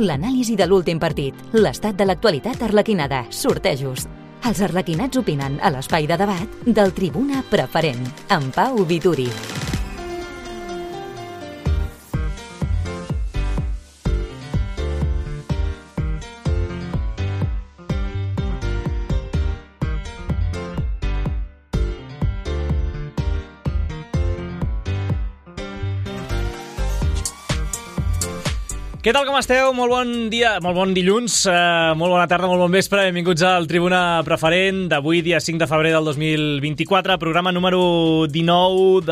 L'anàlisi de l'últim partit, l'estat de l'actualitat arlequinada, sortejos. Els arlequinats opinen a l'espai de debat del Tribuna Preferent, amb Pau Vituri. Què tal, com esteu? Molt bon dia, molt bon dilluns, molt bona tarda, molt bon vespre. Benvinguts al Tribuna Preferent d'avui, dia 5 de febrer del 2024, programa número 19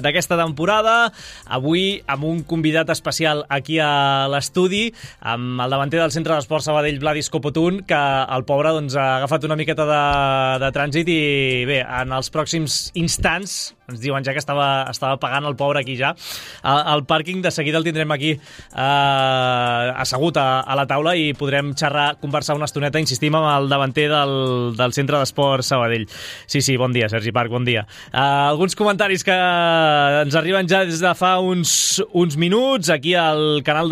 d'aquesta temporada. Avui amb un convidat especial aquí a l'estudi, amb el davanter del Centre d'Esport Sabadell, Vladis Copotun, que el pobre doncs, ha agafat una miqueta de trànsit i bé, en els pròxims instants, ens diuen ja que estava pagant el pobre aquí ja, al pàrquing. De seguida el tindrem aquí assegut a la taula i podrem conversar una estoneta, insistim, amb el davanter del Centre d'Esport Sabadell. Sí, bon dia, Sergi Parc, bon dia. Alguns comentaris que ens arriben ja des de fa uns minuts aquí al canal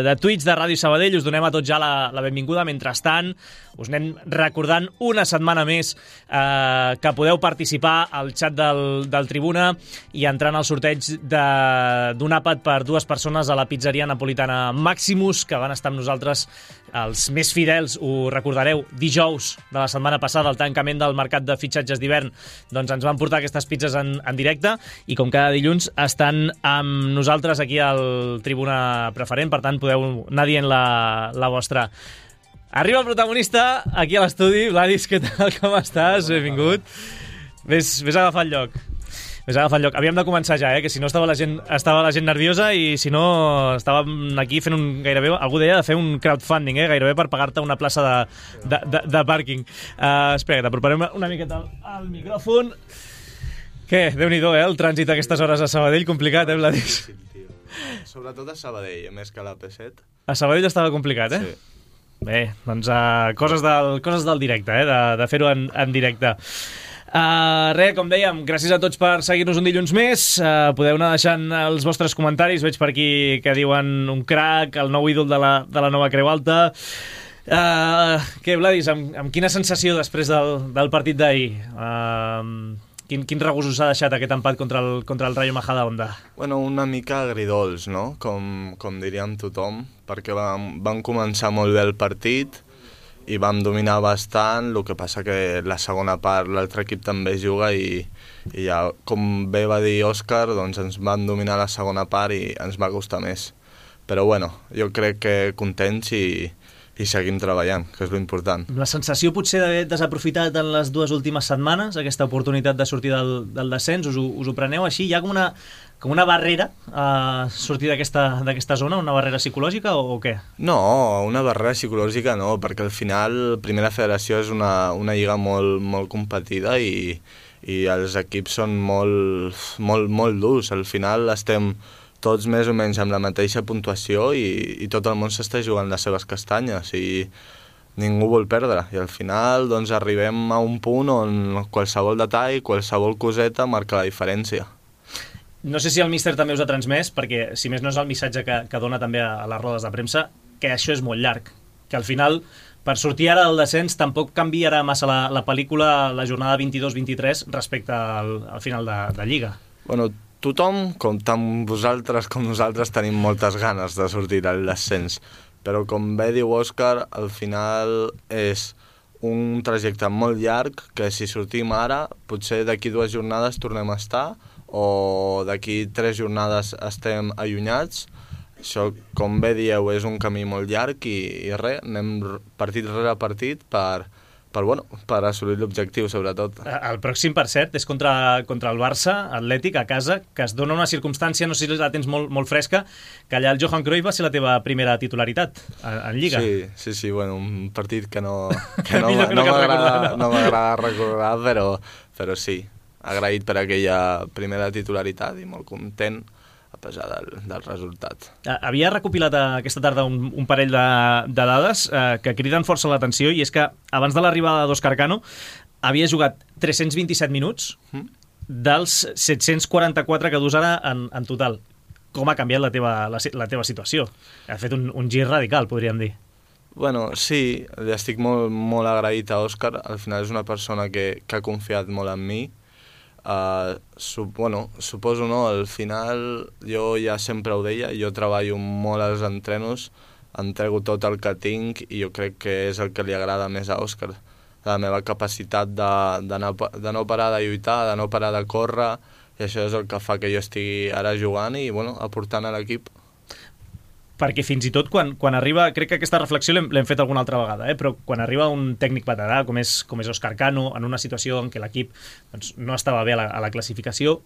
de Twitch de Ràdio Sabadell. Us donem a tots ja la benvinguda. Mentrestant, us anem recordant una setmana més que podeu participar al xat del Tribuna i entrar en el sorteig d'un àpat per 2 persones a la pizzeria napolitana Maximus, que van estar amb nosaltres, els més fidels, ho recordareu, dijous de la setmana passada, al tancament del mercat de fitxatges d'hivern, doncs ens van portar aquestes pizzas en directe i com cada dilluns estan amb nosaltres aquí al Tribuna Preferent, per tant podeu anar dient la vostra. Arriba el protagonista aquí a l'estudi. Vladis, què tal, com estàs? Benvingut. Vés agafar el lloc. Havíem de començar ja, que si no estava la gent nerviosa i si no estàvem aquí fent gairebé, algú deia de fer un crowdfunding, gairebé per pagar-te una plaça de pàrquing. Espera, t'aproparem una miqueta al micròfon. Què? Déu-n'hi-do, el trànsit a aquestes hores a Sabadell, complicat, Vladis? Sí, tio. Sobretot a Sabadell, més que a la P7. A Sabadell estava complicat, Sí. Bé, doncs coses del directe, de fer-ho en directe. Res, com dèiem, gràcies a tots per seguir-nos un dilluns més. Podeu anar deixant els vostres comentaris. Veig per aquí que diuen un crac, el nou ídol de la nova Creu Alta. Què, Vladis, amb quina sensació després del partit d'ahir? Quin regust us ha deixat aquest empat contra el Rayo Majadahonda? Bueno, una mica agridols, no? Com diríem tothom, perquè vam començar molt bé el partit i vam dominar bastant, el que passa que la segona part l'altre equip també juga i ja, com bé va dir Òscar, doncs ens van dominar la segona part i ens va costar més. Però bueno, jo crec que contents i seguim treballant, que és l'important. La sensació potser d'haver desaprofitat en les 2 últimes setmanes aquesta oportunitat de sortir del descens, us ho preneu així? Hi ha com una barrera a sortir d'aquesta zona, una barrera psicològica o què? No, una barrera psicològica no, perquè al final Primera Federació és una lliga molt, molt competida i els equips són molt durs. Al final estem tots més o menys amb la mateixa puntuació i tot el món s'està jugant les seves castanyes i ningú vol perdre. I al final doncs, arribem a un punt on qualsevol detall, qualsevol coseta marca la diferència. No sé si el míster també us ha transmès, perquè si més no és el missatge que dona també a les rodes de premsa, que això és molt llarg, que al final per sortir ara del descens tampoc canviarà massa la pel·lícula la jornada 22-23 respecte al final de Lliga. Bueno, tothom, tant vosaltres com nosaltres, tenim moltes ganes de sortir del descens, però com bé diu Òscar, al final és un trajecte molt llarg que si sortim ara, potser d'aquí 2 jornades tornem a estar o d'aquí 3 jornades estem allunyats. Això, com bé dieu, és un camí molt llarg i res, anem partit rere partit per assolir l'objectiu, sobretot. El pròxim, per cert, és contra el Barça Atlètic, a casa, que es dona una circumstància, no sé si la tens molt fresca, que allà el Johan Cruyff va ser la teva primera titularitat en Lliga. Sí, bueno, un partit que no m'agrada recordar, però sí, agraït per aquella primera titularitat i molt content a pesar del resultat. Havia recopilat aquesta tarda un parell de dades que criden força l'atenció, i és que abans de l'arribada d'Òscar Cano havia jugat 327 minuts dels 744 que dus ara en total. com ha canviat la teva situació. Ha fet un gir radical, podríem dir. Bueno, sí, li estic molt, molt agraït a Òscar. Al final és una persona que ha confiat molt en mi. Suposo no, al final jo ja sempre ho deia, jo treballo molt als entrenos, entrego tot el que tinc i jo crec que és el que li agrada més a Òscar. La meva capacitat de no parar de lluitar, de no parar de córrer, i això és el que fa que jo estigui ara jugant i aportant a l'equip. Perquè fins i tot quan arriba, crec que aquesta reflexió l'hem fet alguna altra vegada, però quan arriba un tècnic veterà com és Òscar Cano, en una situació en què l'equip no estava bé a la classificació,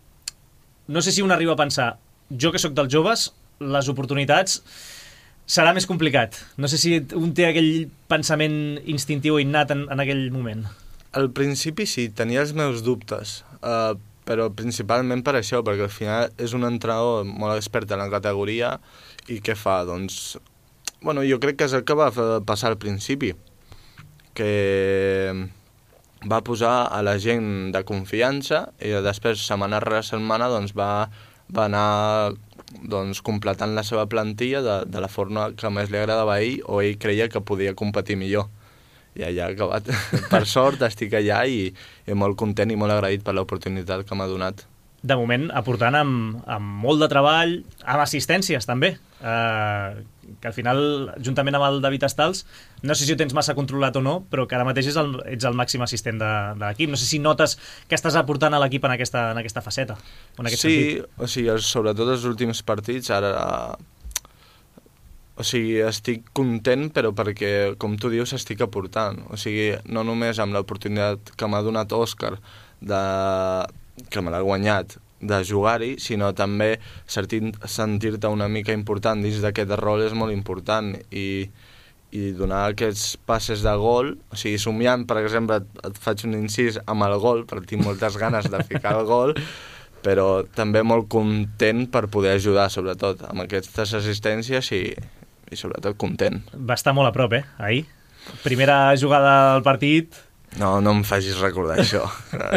no sé si un arriba a pensar, jo que sóc dels joves, les oportunitats serà més complicat. No sé si un té aquell pensament instintiu o innat en aquell moment. Al principi sí, tenia els meus dubtes, però principalment per això, perquè al final és un entrenador molt expert en la categoria i què fa? Doncs, jo crec que és el que va passar al principi, que va posar a la gent de confiança i després setmana rere setmana va anar completant la seva plantilla de la forma que més li agradava a ell o ell creia que podia competir millor. I allà ha acabat. Per sort estic allà i molt content i molt agraït per l'oportunitat que m'ha donat. De moment aportant amb molt de treball, amb assistències també, que al final, juntament amb el David Estals, no sé si ho tens massa controlat o no, però que ara mateix ets el màxim assistent de l'equip. No sé si notes que estàs aportant a l'equip en aquesta faceta. Sí, sobretot els últims partits, ara... estic content, però perquè, com tu dius, estic aportant. No només amb l'oportunitat que m'ha donat Òscar que me l'ha guanyat de jugar-hi, sinó també sentir-te una mica important dins d'aquest rol és molt important i donar aquests passes de gol, somiant, per exemple, et faig un incís amb el gol, perquè tinc moltes ganes de ficar el gol, però també molt content per poder ajudar, sobretot, amb aquestes assistències i sobretot content. Va estar molt a prop, ahir. Primera jugada del partit... No em facis recordar això.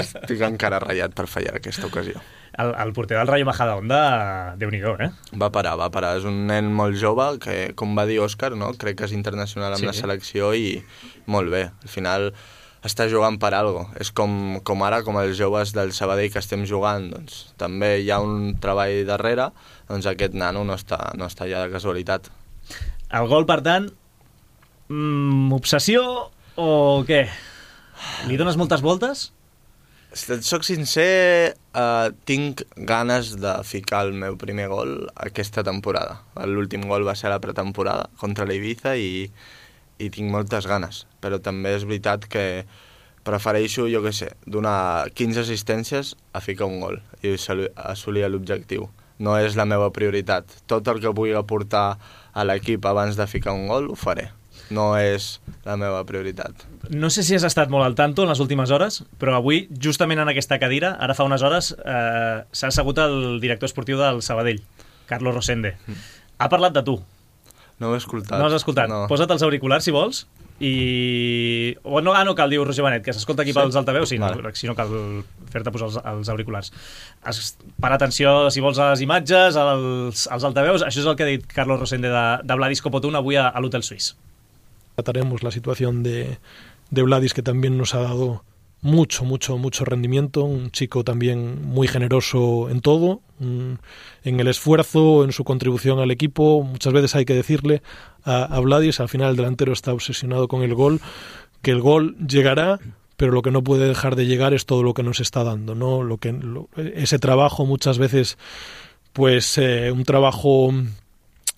Estic encara ratllat per fallar aquesta ocasió. El porter del Rayo Majadahonda, Déu-n'hi-do, Va parar. És un nen molt jove que, com va dir Òscar, crec que és internacional amb la selecció i molt bé. Al final està jugant per algo. És com ara, com els joves del Sabadell que estem jugant, doncs també hi ha un treball darrere, doncs aquest nano no està allà de casualitat. El gol, per tant, obsessió o què? Li dones moltes voltes? Si et soc sincer, tinc ganes de ficar el meu primer gol aquesta temporada. L'últim gol va ser a la pretemporada contra l'Ibiza i tinc moltes ganes. Però també és veritat que prefereixo, donar 15 assistències a ficar un gol i assolir l'objectiu. No és la meva prioritat. Tot el que pugui aportar a l'equip abans de ficar un gol ho faré. No és la meva prioritat. No sé si has estat molt al tanto en les últimes hores, però avui, justament en aquesta cadira, ara fa unes hores, s'ha assegut el director esportiu del Sabadell, Carlos Rosende. Ha parlat de tu. No ho he escoltat. No has escoltat. No. Posa't els auriculars, si vols, i... no cal, diu Roger Benet, que s'escolta aquí pels altaveus, si no cal fer-te posar els auriculars. Para atenció, si vols, a les imatges, als altaveus. Això és el que ha dit Carlos Rosende de Vladis Copotún avui a l'Hotel Suís. Trataremos la situación de Vladis, que también nos ha dado mucho rendimiento, un chico también muy generoso en todo, en el esfuerzo, en su contribución al equipo. Muchas veces hay que decirle a Vladis, al final el delantero está obsesionado con el gol, que el gol llegará, pero lo que no puede dejar de llegar es todo lo que nos está dando, ¿no? Ese trabajo muchas veces, pues un trabajo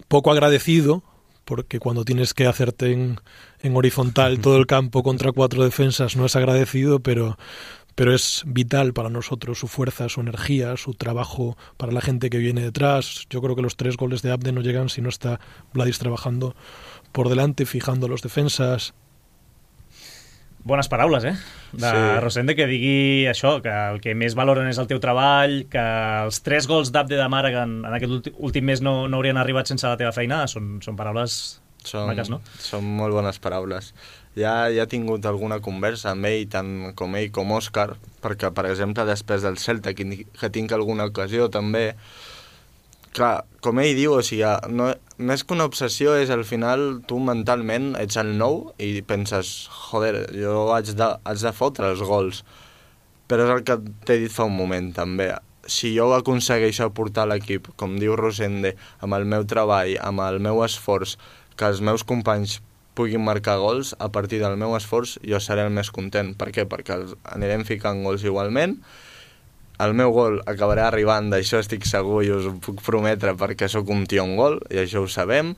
poco agradecido, porque cuando tienes que hacerte en horizontal todo el campo contra 4 defensas no es agradecido, pero es vital para nosotros su fuerza, su energía, su trabajo para la gente que viene detrás. Yo creo que los 3 goles de Abde no llegan si no está Vladis trabajando por delante, fijando los defensas. Bones paraules, de Rosende, que digui això, que el que més valoren és el teu treball, que els 3 gols d'Abde de Màrega en aquest últim mes no haurien arribat sense la teva feina. Són paraules maques, no? Són molt bones paraules. Ja he tingut alguna conversa amb ell, tant com ell com Òscar, perquè, per exemple, després del Celta, que tinc alguna ocasió també, clar, com ell diu, o sigui, no, més que una obsessió és al final tu mentalment ets el nou i penses, joder, jo haig de fotre els gols. Però és el que t'he dit fa un moment també. Si jo aconsegueixo portar l'equip, com diu Rosende, amb el meu treball, amb el meu esforç, que els meus companys puguin marcar gols, a partir del meu esforç jo seré el més content. Per què? Perquè anirem ficant gols igualment. El meu gol acabarà arribant, d'això estic segur i us ho puc prometre, perquè sóc un tio en gol, i això ho sabem.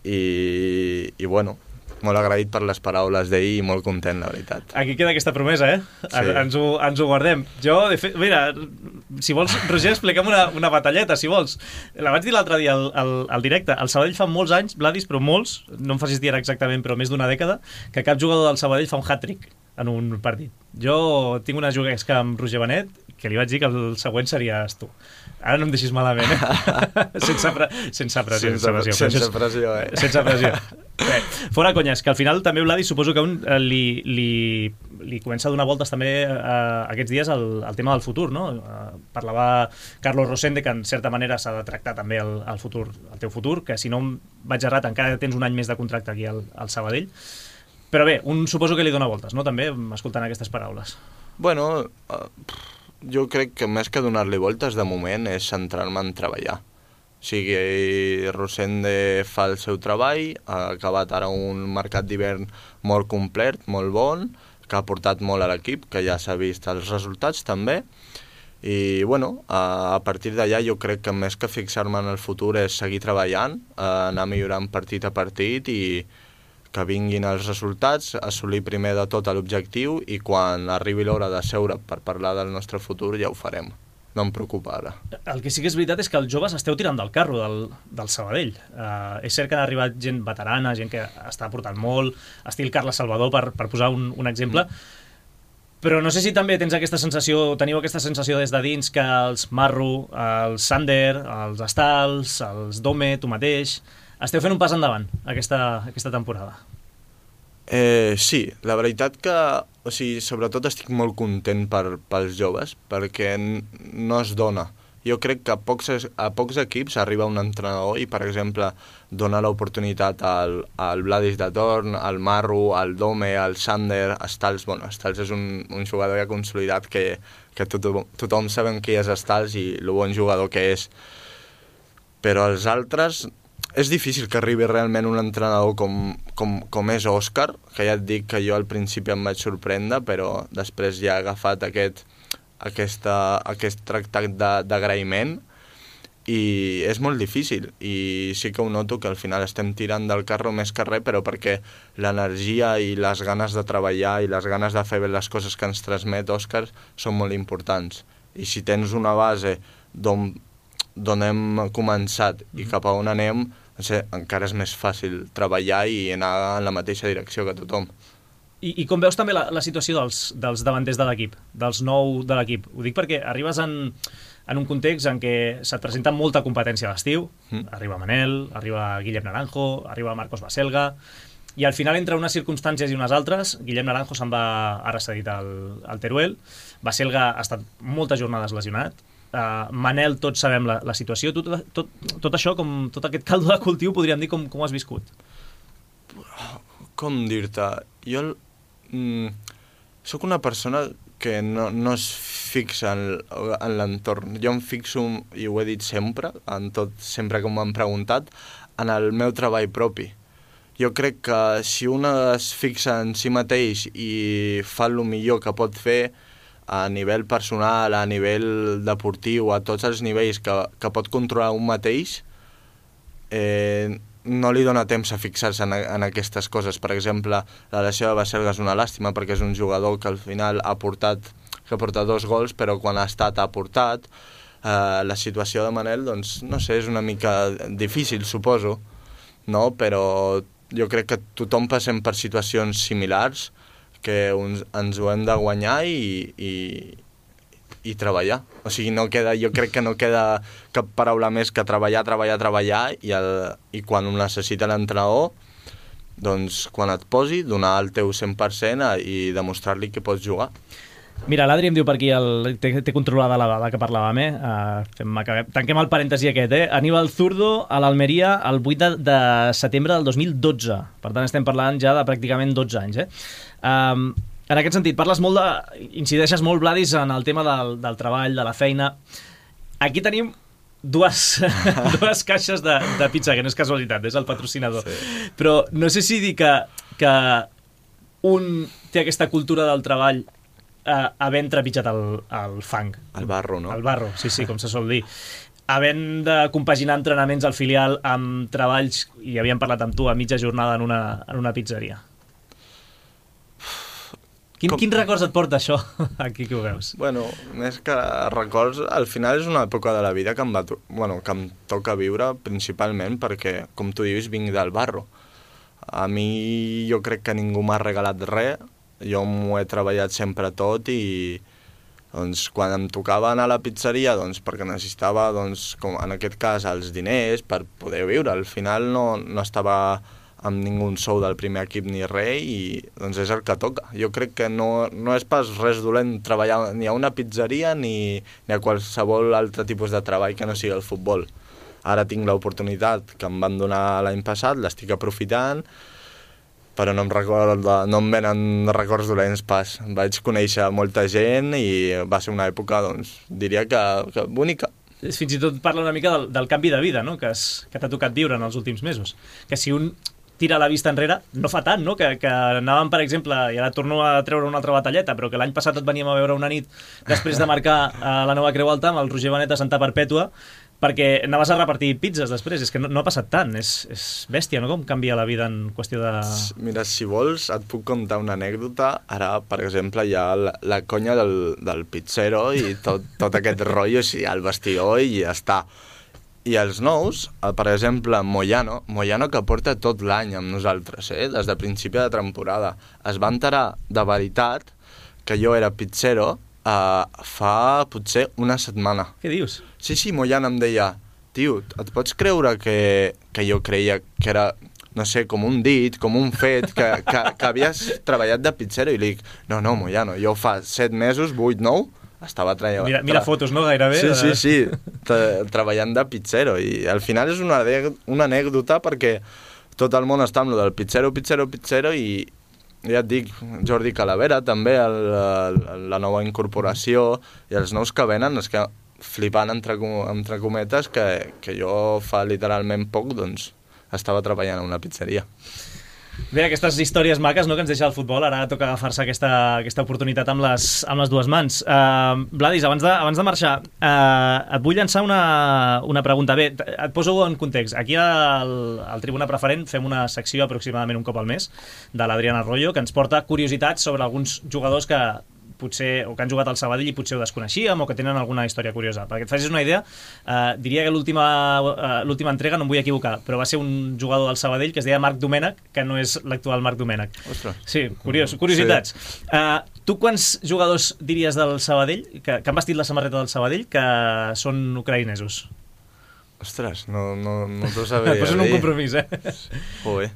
I bueno, molt agraït per les paraules d'ahir i molt content, la veritat. Aquí queda aquesta promesa, eh? Sí. Ens ho guardem. Jo, de fet, mira, si vols, Roger, expliquem una batalleta, si vols. La vaig dir l'altre dia al directe. El Sabadell fa molts anys, Vladis, però molts, no em facis dir exactament, però més d'una dècada, que cap jugador del Sabadell fa un hat-trick en un partit. Jo tinc una juguesca amb Roger Benet, que li vaig dir que el següent series tu. Ara no em deixis malament, sense pressió. Sense pressió, eh? Sense pressió. Bé, fora conyes, que al final també, Vladis, suposo que li comença a donar voltes també aquests dies al tema del futur, no? Parlava Carlos Rosende que en certa manera s'ha de tractar també el futur, el teu futur, que si no em vaig errat encara tens un any més de contracte aquí al Sabadell. Però bé, suposo que li dona voltes, no?, també, escoltant aquestes paraules. Bueno, jo crec que més que donar-li voltes de moment és centrar-me en treballar. O sigui, Rosende fa el seu treball, ha acabat ara un mercat d'hivern molt complet, molt bon, que ha portat molt a l'equip, que ja s'ha vist els resultats també, i bueno, a partir d'allà jo crec que més que fixar-me en el futur és seguir treballant, anar millorant partit a partit i que vinguin els resultats, assolir primer de tot l'objectiu i quan arribi l'hora de seure per parlar del nostre futur ja ho farem. No em preocupa ara. El que sí que és veritat és que els joves esteu tirant del carro del Sabadell. És cert que ha arribat gent veterana, gent que està portant molt, estil Carles Salvador, per posar un exemple, però no sé si també tens aquesta sensació, teniu aquesta sensació des de dins que els Marro, els Sander, els Estals, els Dome, tu mateix, esteu fent un pas endavant aquesta temporada. Sí, la veritat que, o sigui, sobretot estic molt content pels joves, perquè no es dona. Jo crec que a pocs equips arriba un entrenador i, per exemple, dona l'oportunitat al Vladis de Torn, al Marro, al Dome, al Sander, Estals. Bueno, Estals és un jugador ja consolidat que tothom sabem qui és Estals i el bon jugador que és. Però els altres és difícil que arribi realment un entrenador com és Òscar, que ja et dic que jo al principi em vaig sorprendre, però després ja ha agafat aquest tractat d'agraïment i és molt difícil. I sí que ho noto que al final estem tirant del carro més que res, però perquè l'energia i les ganes de treballar i les ganes de fer bé les coses que ens transmet Òscar són molt importants. I si tens una base d'on hem començat i cap a on anem, encara és més fàcil treballar i anar en la mateixa direcció que tothom. I com veus també la situació dels davanters de l'equip, dels nou de l'equip? Ho dic perquè arribes en un context en què se't presenta molta competència a l'estiu, arriba Manel, arriba Guillem Naranjo, arriba Marcos Baselga, i al final, entre unes circumstàncies i unes altres, Guillem Naranjo se'n va ara cedit al Teruel, Baselga ha estat moltes jornades lesionat, Manel, tots sabem la situació. Tot això, tot aquest caldo de cultiu, podríem dir, com ho has viscut? Com dir-te? Jo sóc una persona que no es fixa en l'entorn. Jo em fixo, i ho he dit sempre, sempre que m'han preguntat, en el meu treball propi. Jo crec que si un es fixa en si mateix i fa el millor que pot fer, a nivell personal, a nivell deportiu, a tots els nivells que pot controlar un mateix, no li dona temps a fixar-se en aquestes coses. Per exemple, la lesió de Baselga és una làstima perquè és un jugador que al final ha portat 2 gols, però quan ha estat ha portat. La situació de Manel, doncs, no sé, és una mica difícil, suposo, no? Però jo crec que tothom passem per situacions similars, que ens ho hem de guanyar i treballar. O sigui, jo crec que no queda cap paraula més que treballar i quan ho necessita l'entrenador, doncs quan et posi, donar el teu 100% i demostrar-li que pots jugar. Mira, l'Adri em diu per aquí, té controlada la dada que parlàvem, tanquem el parèntesi aquest, Aníbal Zurdo a l'Almeria el 8 de setembre del 2012. Per tant, estem parlant ja de pràcticament 12 anys. En aquest sentit, incideixes molt, Vladis, en el tema del treball, de la feina. Aquí tenim dues caixes de pizza, que no és casualitat, és el patrocinador. Sí. Però no sé si dir que un té aquesta cultura del treball havent trepitjat el fang. El barro, no? El barro, sí, com se sol dir. Havent de compaginar entrenaments al filial amb treballs, i havíem parlat amb tu, a mitja jornada en una pizzeria. Quin records et porta això, aquí que ho veus? Bueno, més que records, al final és una època de la vida que em toca viure principalment perquè, com tu dius, vinc del barro. A mi jo crec que ningú m'ha regalat res, jo m'ho he treballat sempre tot i doncs, quan em tocava anar a la pizzeria perquè necessitava, com en aquest cas, els diners per poder viure. Al final no estava amb ningú sou del primer equip ni res i doncs és el que toca. Jo crec que no és pas res dolent treballar ni a una pizzeria ni a qualsevol altre tipus de treball que no sigui el futbol. Ara tinc l'oportunitat que em van donar l'any passat, l'estic aprofitant, però no em venen records dolents pas. Vaig conèixer molta gent i va ser una època, diria que bonica. Fins i tot parla una mica del canvi de vida, no? que t'ha tocat viure en els últims mesos. Que si un tira la vista enrere, no fa tant, no? Que anàvem, per exemple, i ara torno a treure una altra batalleta, però que l'any passat et veníem a veure una nit després de marcar la nova Creu Alta amb el Roger Benet a Santa Perpètua, perquè anaves a repartir pizzas després. És que no ha passat tant, és bèstia, no? Com canvia la vida en qüestió de... Mira, si vols, et puc contar una anècdota. Ara, per exemple, hi ha la conya del pizzero i tot aquest rotllo, sí, al vestidor i ja està. I els nous, per exemple, Moyano, que porta tot l'any amb nosaltres, des de principi de temporada, es va enterar de veritat que jo era pizzero fa potser una setmana. Què dius? Sí, Moyano em deia, tio, et pots creure que jo creia que era, no sé, com un dit, com un fet, que havies treballat de pizzero? I li dic, no, Moyano, jo fa 7 mesos, 8, 9, estava treballant... Mira fotos, no? Gairebé. Sí, treballant de pizzero. I al final és una anècdota perquè tot el món està amb lo del pizzero i ja et dic, Jordi Calavera també, la nova incorporació i els nous que venen, és que flipant entre cometes que jo fa literalment poc estava treballant a una pizzeria. Bé, aquestes històries maques, no?, que ens deixa el futbol. Ara toca agafar-se aquesta oportunitat amb les dues mans. Vladis, abans de marxar, et vull llançar una pregunta. Bé, et poso en context. Aquí al Tribuna Preferent fem una secció aproximadament un cop al mes de l'Adrián Arroyo, que ens porta curiositats sobre alguns jugadors que potser o que han jugat al Sabadell i potser ho desconeixíem o que tenen alguna història curiosa. Perquè et facis una idea, diria que l'última entrega, no em vull equivocar, però va ser un jugador del Sabadell que es deia Marc Domènech, que no és l'actual Marc Domènech. Ostres. Sí, curiositats. Sí. Tu quants jugadors diries del Sabadell, que han vestit la samarreta del Sabadell, que són ucraïnesos? Ostres, no t'ho sabria dir. Et poso en un compromís, Joder,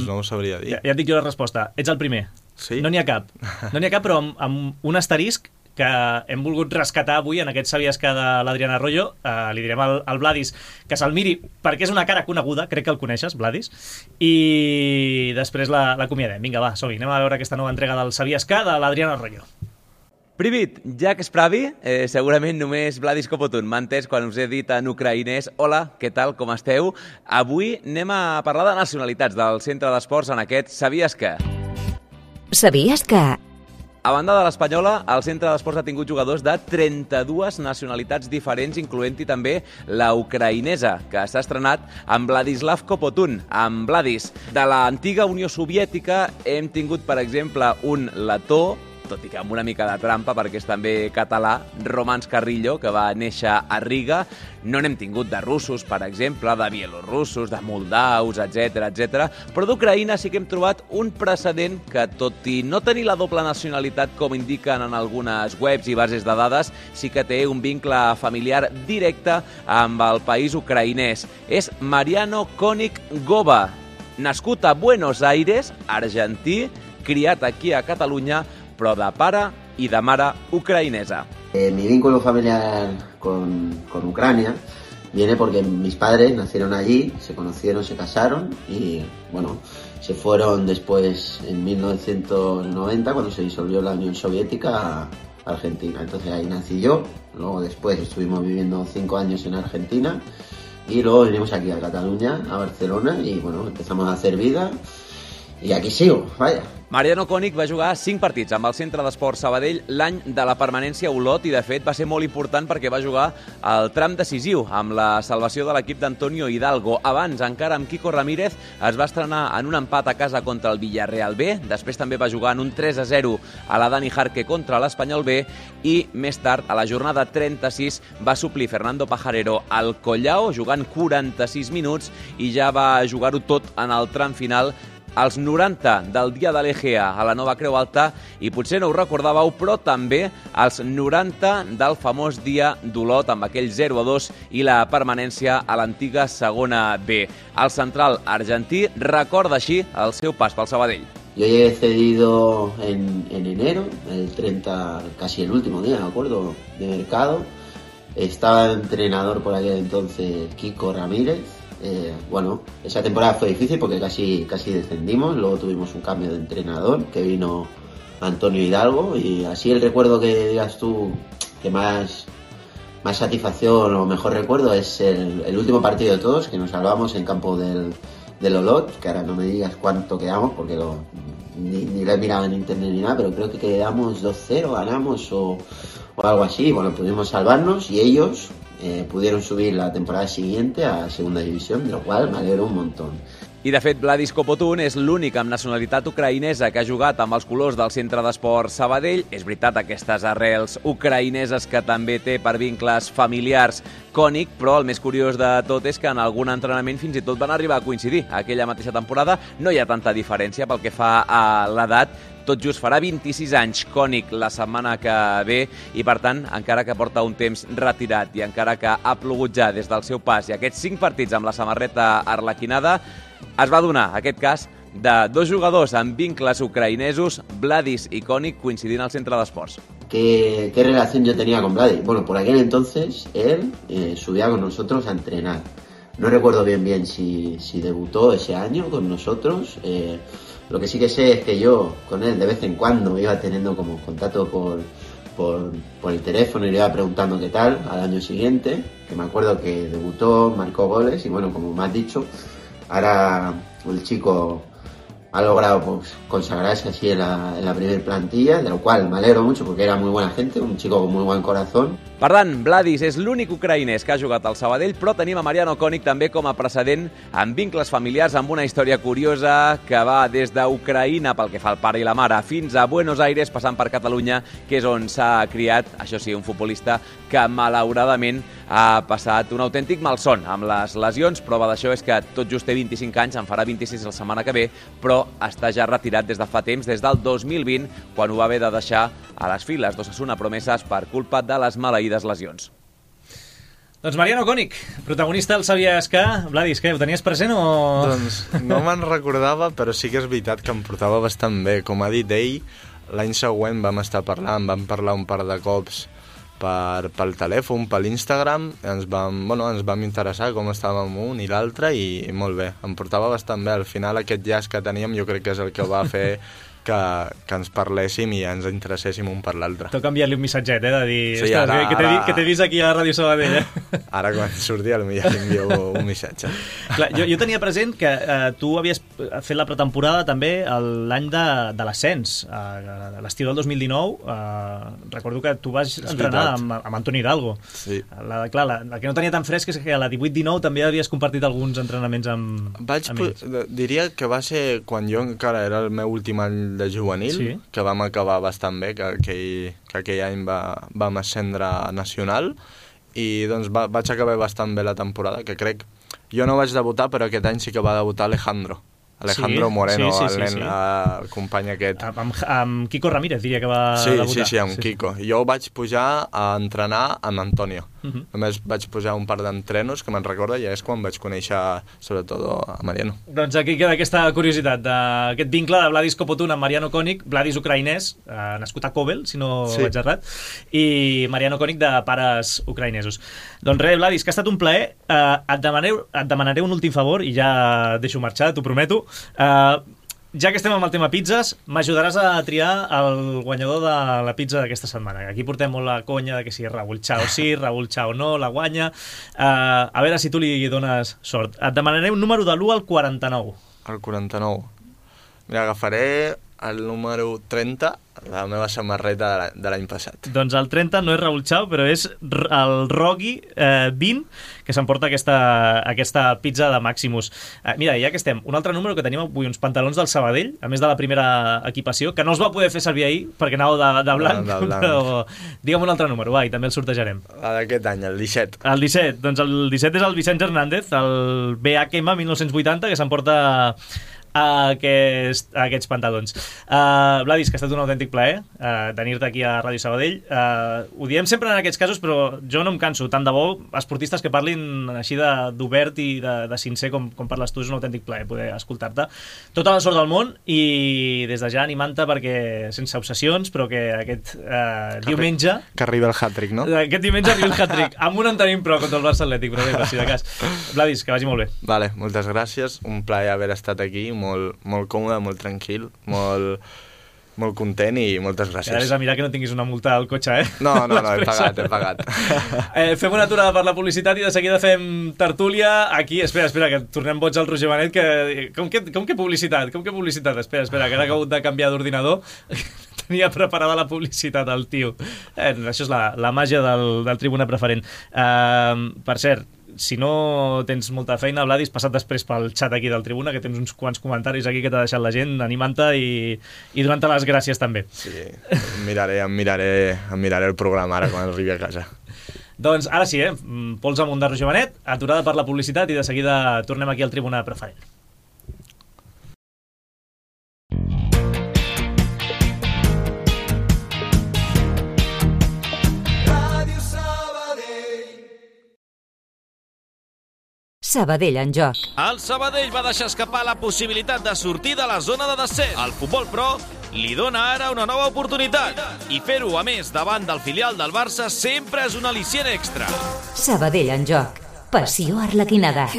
no ho sabria dir. Ja et dic jo la resposta. Ets el primer. Sí? No n'hi ha cap, però amb un asterisc que hem volgut rescatar avui en aquest Sabies que de l'Adrián Arroyo. Li direm al Vladis que se'l miri perquè és una cara coneguda, crec que el coneixes, Vladis, i després l'acomiadem. Vinga, va, som-hi, anem a veure aquesta nova entrega del Sabies que de l'Adrián Arroyo. Привіт, як справі? Segurament només Vladis Kopotun m'ha entès quan us he dit en ucraïnès hola, què tal, com esteu? Avui anem a parlar de nacionalitats del Centre d'Esports en aquest Sabies que... Sabies que... A banda de l'espanyola, el Centre d'Esports ha tingut jugadors de 32 nacionalitats diferents, incloent-hi també la ucraïnesa, que s'ha estrenat amb Vladislav Kopotun, amb Vladis. De l'antiga Unió Soviètica hem tingut, per exemple, un letó, tot i que amb una mica de trampa, perquè és també català, Romans Carrillo, que va néixer a Riga. No n'hem tingut de russos, per exemple, de bielorussos, de moldaus, etc. Però d'Ucraïna sí que hem trobat un precedent que, tot i no tenir la doble nacionalitat, com indiquen en algunes webs i bases de dades, sí que té un vincle familiar directe amb el país ucraïnès. És Mariano Konik-Gova, nascut a Buenos Aires, argentí, criat aquí a Catalunya, però de pare i de mare ucraïnesa. Mi vínculo familiar con Ucrania viene porque mis padres nacieron allí, se conocieron, se casaron y bueno, se fueron después en 1990 cuando se disolvió la Unión Soviética a Argentina. Entonces ahí nací yo, luego después estuvimos viviendo 5 años en Argentina y luego vinimos aquí a Cataluña, a Barcelona y bueno, empezamos a hacer vida y aquí sigo, vaya. Mariano König va jugar 5 partits amb el Centre d'Esports Sabadell l'any de la permanència a Olot i, de fet, va ser molt important perquè va jugar el tram decisiu amb la salvació de l'equip d'Antonio Hidalgo. Abans, encara amb Quico Ramírez, es va estrenar en un empat a casa contra el Villarreal B, després també va jugar en un 3-0 a la Dani Jarque contra l'Espanyol B i més tard, a la jornada 36, va suplir Fernando Pajarero al Collao, jugant 46 minuts i ja va jugar-ho tot en el tram final als 90 del dia de l'Egea a la Nova Creu Alta i potser no ho recordàveu, però també als 90 del famós dia d'Olot amb aquell 0-2 i la permanència a l'antiga segona B. El central argentí recorda així el seu pas pel Sabadell. Yo llegué cedido en enero, el 30, casi el último día, me acuerdo, de mercado. Estaba entrenador por aquel entonces Quico Ramírez. Bueno, esa temporada fue difícil porque casi descendimos, luego tuvimos un cambio de entrenador que vino Antonio Hidalgo y así el recuerdo que digas tú que más satisfacción o mejor recuerdo es el último partido de todos que nos salvamos en campo del Olot, que ahora no me digas cuánto quedamos porque ni lo he mirado en internet ni nada, pero creo que quedamos 2-0, ganamos o algo así. Bueno, pudimos salvarnos y ellos pudieron subir la temporada siguiente a segunda división, de lo cual me alegro un montón. I, de fet, Vladis Kopotun és l'únic amb nacionalitat ucraïnesa que ha jugat amb els colors del Centre d'Esports Sabadell. És veritat, aquestes arrels ucraïneses que també té per vincles familiars König, però el més curiós de tot és que en algun entrenament fins i tot van arribar a coincidir. Aquella mateixa temporada no hi ha tanta diferència pel que fa a l'edat. Tot just farà 26 anys König la setmana que ve i, per tant, encara que porta un temps retirat i encara que ha plogut ja des del seu pas i aquests 5 partits amb la samarreta arlequinada, es va donar aquest cas de 2 jugadors amb vincles ucraïnesos, Vladis i König, coincidint al Centre d'Esports. ¿Qué relación yo tenía con Vladis? Bueno, por aquel entonces él subía con nosotros a entrenar. No recuerdo bien si debutó ese año con nosotros. Lo que sí que sé es que yo con él de vez en cuando iba teniendo como contacto por el teléfono y le iba preguntando qué tal al año siguiente, que me acuerdo que debutó, marcó goles y bueno, como me has dicho, ahora el chico ha logrado pues, consagrarse así en la primera plantilla, de lo cual me alegro mucho porque era muy buena gente, un chico con muy buen corazón. Per tant, Vladis és l'únic ucraïnès que ha jugat al Sabadell, però tenim a Mariano König també com a precedent amb vincles familiars, amb una història curiosa que va des d'Ucraïna pel que fa al pare i la mare fins a Buenos Aires, passant per Catalunya, que és on s'ha criat, això sí, un futbolista que malauradament ha passat un autèntic malson amb les lesions. Prova d'això és que tot just té 25 anys, en farà 26 la setmana que ve, però està ja retirat des de fa temps, des del 2020, quan ho va haver de deixar a les files d'Osasuna Promeses per culpa de les maleïdes lesions. Doncs Mariano König, protagonista del Sabies que... Vladis, què, ho tenies present o...? Doncs no me'n recordava, però sí que és veritat que em portava bastant bé. Com ha dit ell, l'any següent vam estar parlant, vam parlar un par de cops pel telèfon, per l'Instagram, ens vam interessar com estàvem un i l'altre i molt bé, em portava bastant bé. Al final aquest llaç que teníem jo crec que és el que va fer que ens parléssim i ens interesséssim un per l'altre. Toca enviar-li un missatget, de dir... Sí, ara, que t'he vist aquí a Ràdio Sabadell, Ara quan surti potser li envio un missatge. Clar, jo tenia present que tu havies fet la pretemporada també l'any de l'ascens, l'estiu del 2019. Recordo que tu vas entrenar amb Antonio Hidalgo. Sí. La que no tenia tan fresc és que a la 18-19 també havies compartit alguns entrenaments amb ells. Diria que va ser quan jo encara era el meu últim any de juvenil, sí, que vam acabar bastant bé, que aquell any vam ascendre a nacional i doncs vaig acabar bastant bé la temporada, que crec... Jo no vaig debutar, però aquest any sí que va debutar Alejandro Moreno, el company aquest. Amb Quico Ramírez, diria que va debutar. Sí, amb Quico. Jo vaig pujar a entrenar amb Antonio. Només vaig posar un par d'entrenos que me'n recorda i és quan vaig conèixer sobretot a Mariano. Doncs aquí queda aquesta curiositat d'aquest vincle de Vladis Kopotun amb Mariano Konik, Vladis ucraïnès, nascut a Kovel, si no vaig errat, i Mariano Konik de pares ucraïnesos. Doncs res, Vladis, que ha estat un plaer. Et demanaré un últim favor i ja et deixo marxar, t'ho prometo. Ja que estem amb el tema pizzas, m'ajudaràs a triar el guanyador de la pizza d'aquesta setmana. Aquí portem molt la conya de que si Raúl Chao sí, Raúl Chao no, la guanya. A veure si tu li dones sort. Et demanaré un número de l'1 al 49. El 49. Mira, agafaré el número 30, la meva samarreta de l'any passat. Doncs el 30 no és Raúl Chao, però és el Rogi 20, que s'emporta aquesta pizza de Maximus. Mira, ja que estem, un altre número que tenim avui, uns pantalons del Sabadell, a més de la primera equipació, que no els va poder fer servir ahir perquè anàveu de blanc, però digue'm un altre número, i també el sortejarem. D'aquest any, el 17. El 17, doncs el 17 és el Vicenç Hernández, el BHM 1980, que s'emporta aquests pantalons. Vladis, que ha estat un autèntic plaer tenir-te aquí a Ràdio Sabadell. Ho diem sempre en aquests casos, però jo no em canso. Tant de bo, esportistes que parlin així d'obert i de sincer com parles tu, és un autèntic plaer poder escoltar-te. Tota la sort del món i des de ja animant-te perquè, sense obsessions, però que aquest diumenge... Que arriba el hat-trick, no? Aquest diumenge arriba el hat-trick. Amb un en tenim prou contra el Barça Atlètic, però bé, per si de cas. Vladis, que vagi molt bé. Vale, moltes gràcies. Un plaer haver estat aquí, molt còmode, molt tranquil, molt content i moltes gràcies. Ara és a mirar que no tinguis una multa al cotxe, No, he pagat. Fem una aturada per la publicitat i de seguida fem tertúlia aquí. Espera, que tornem boig al Roger Benet, que... Com que publicitat? Espera, que ara ha hagut de canviar d'ordinador. Tenia preparada la publicitat al tio. Això és la màgia del Tribuna Preferent. Per cert, si no tens molta feina, Vladis, passa't després pel xat aquí del Tribuna, que tens uns quants comentaris aquí que t'ha deixat la gent, animant-te i donant-te les gràcies també. Sí, em miraré el programa ara quan arribi a casa. Doncs ara sí, pols amunt de Roger Benet, aturada per la publicitat i de seguida tornem aquí al Tribuna Preferent. Sabadell en joc. El Sabadell va deixar escapar la possibilitat de sortir de la zona de descens. El Futbol Pro li dona ara una nova oportunitat. I fer-ho, a més, davant del filial del Barça, sempre és un al·licient extra. Sabadell en joc. Passió arlequinada.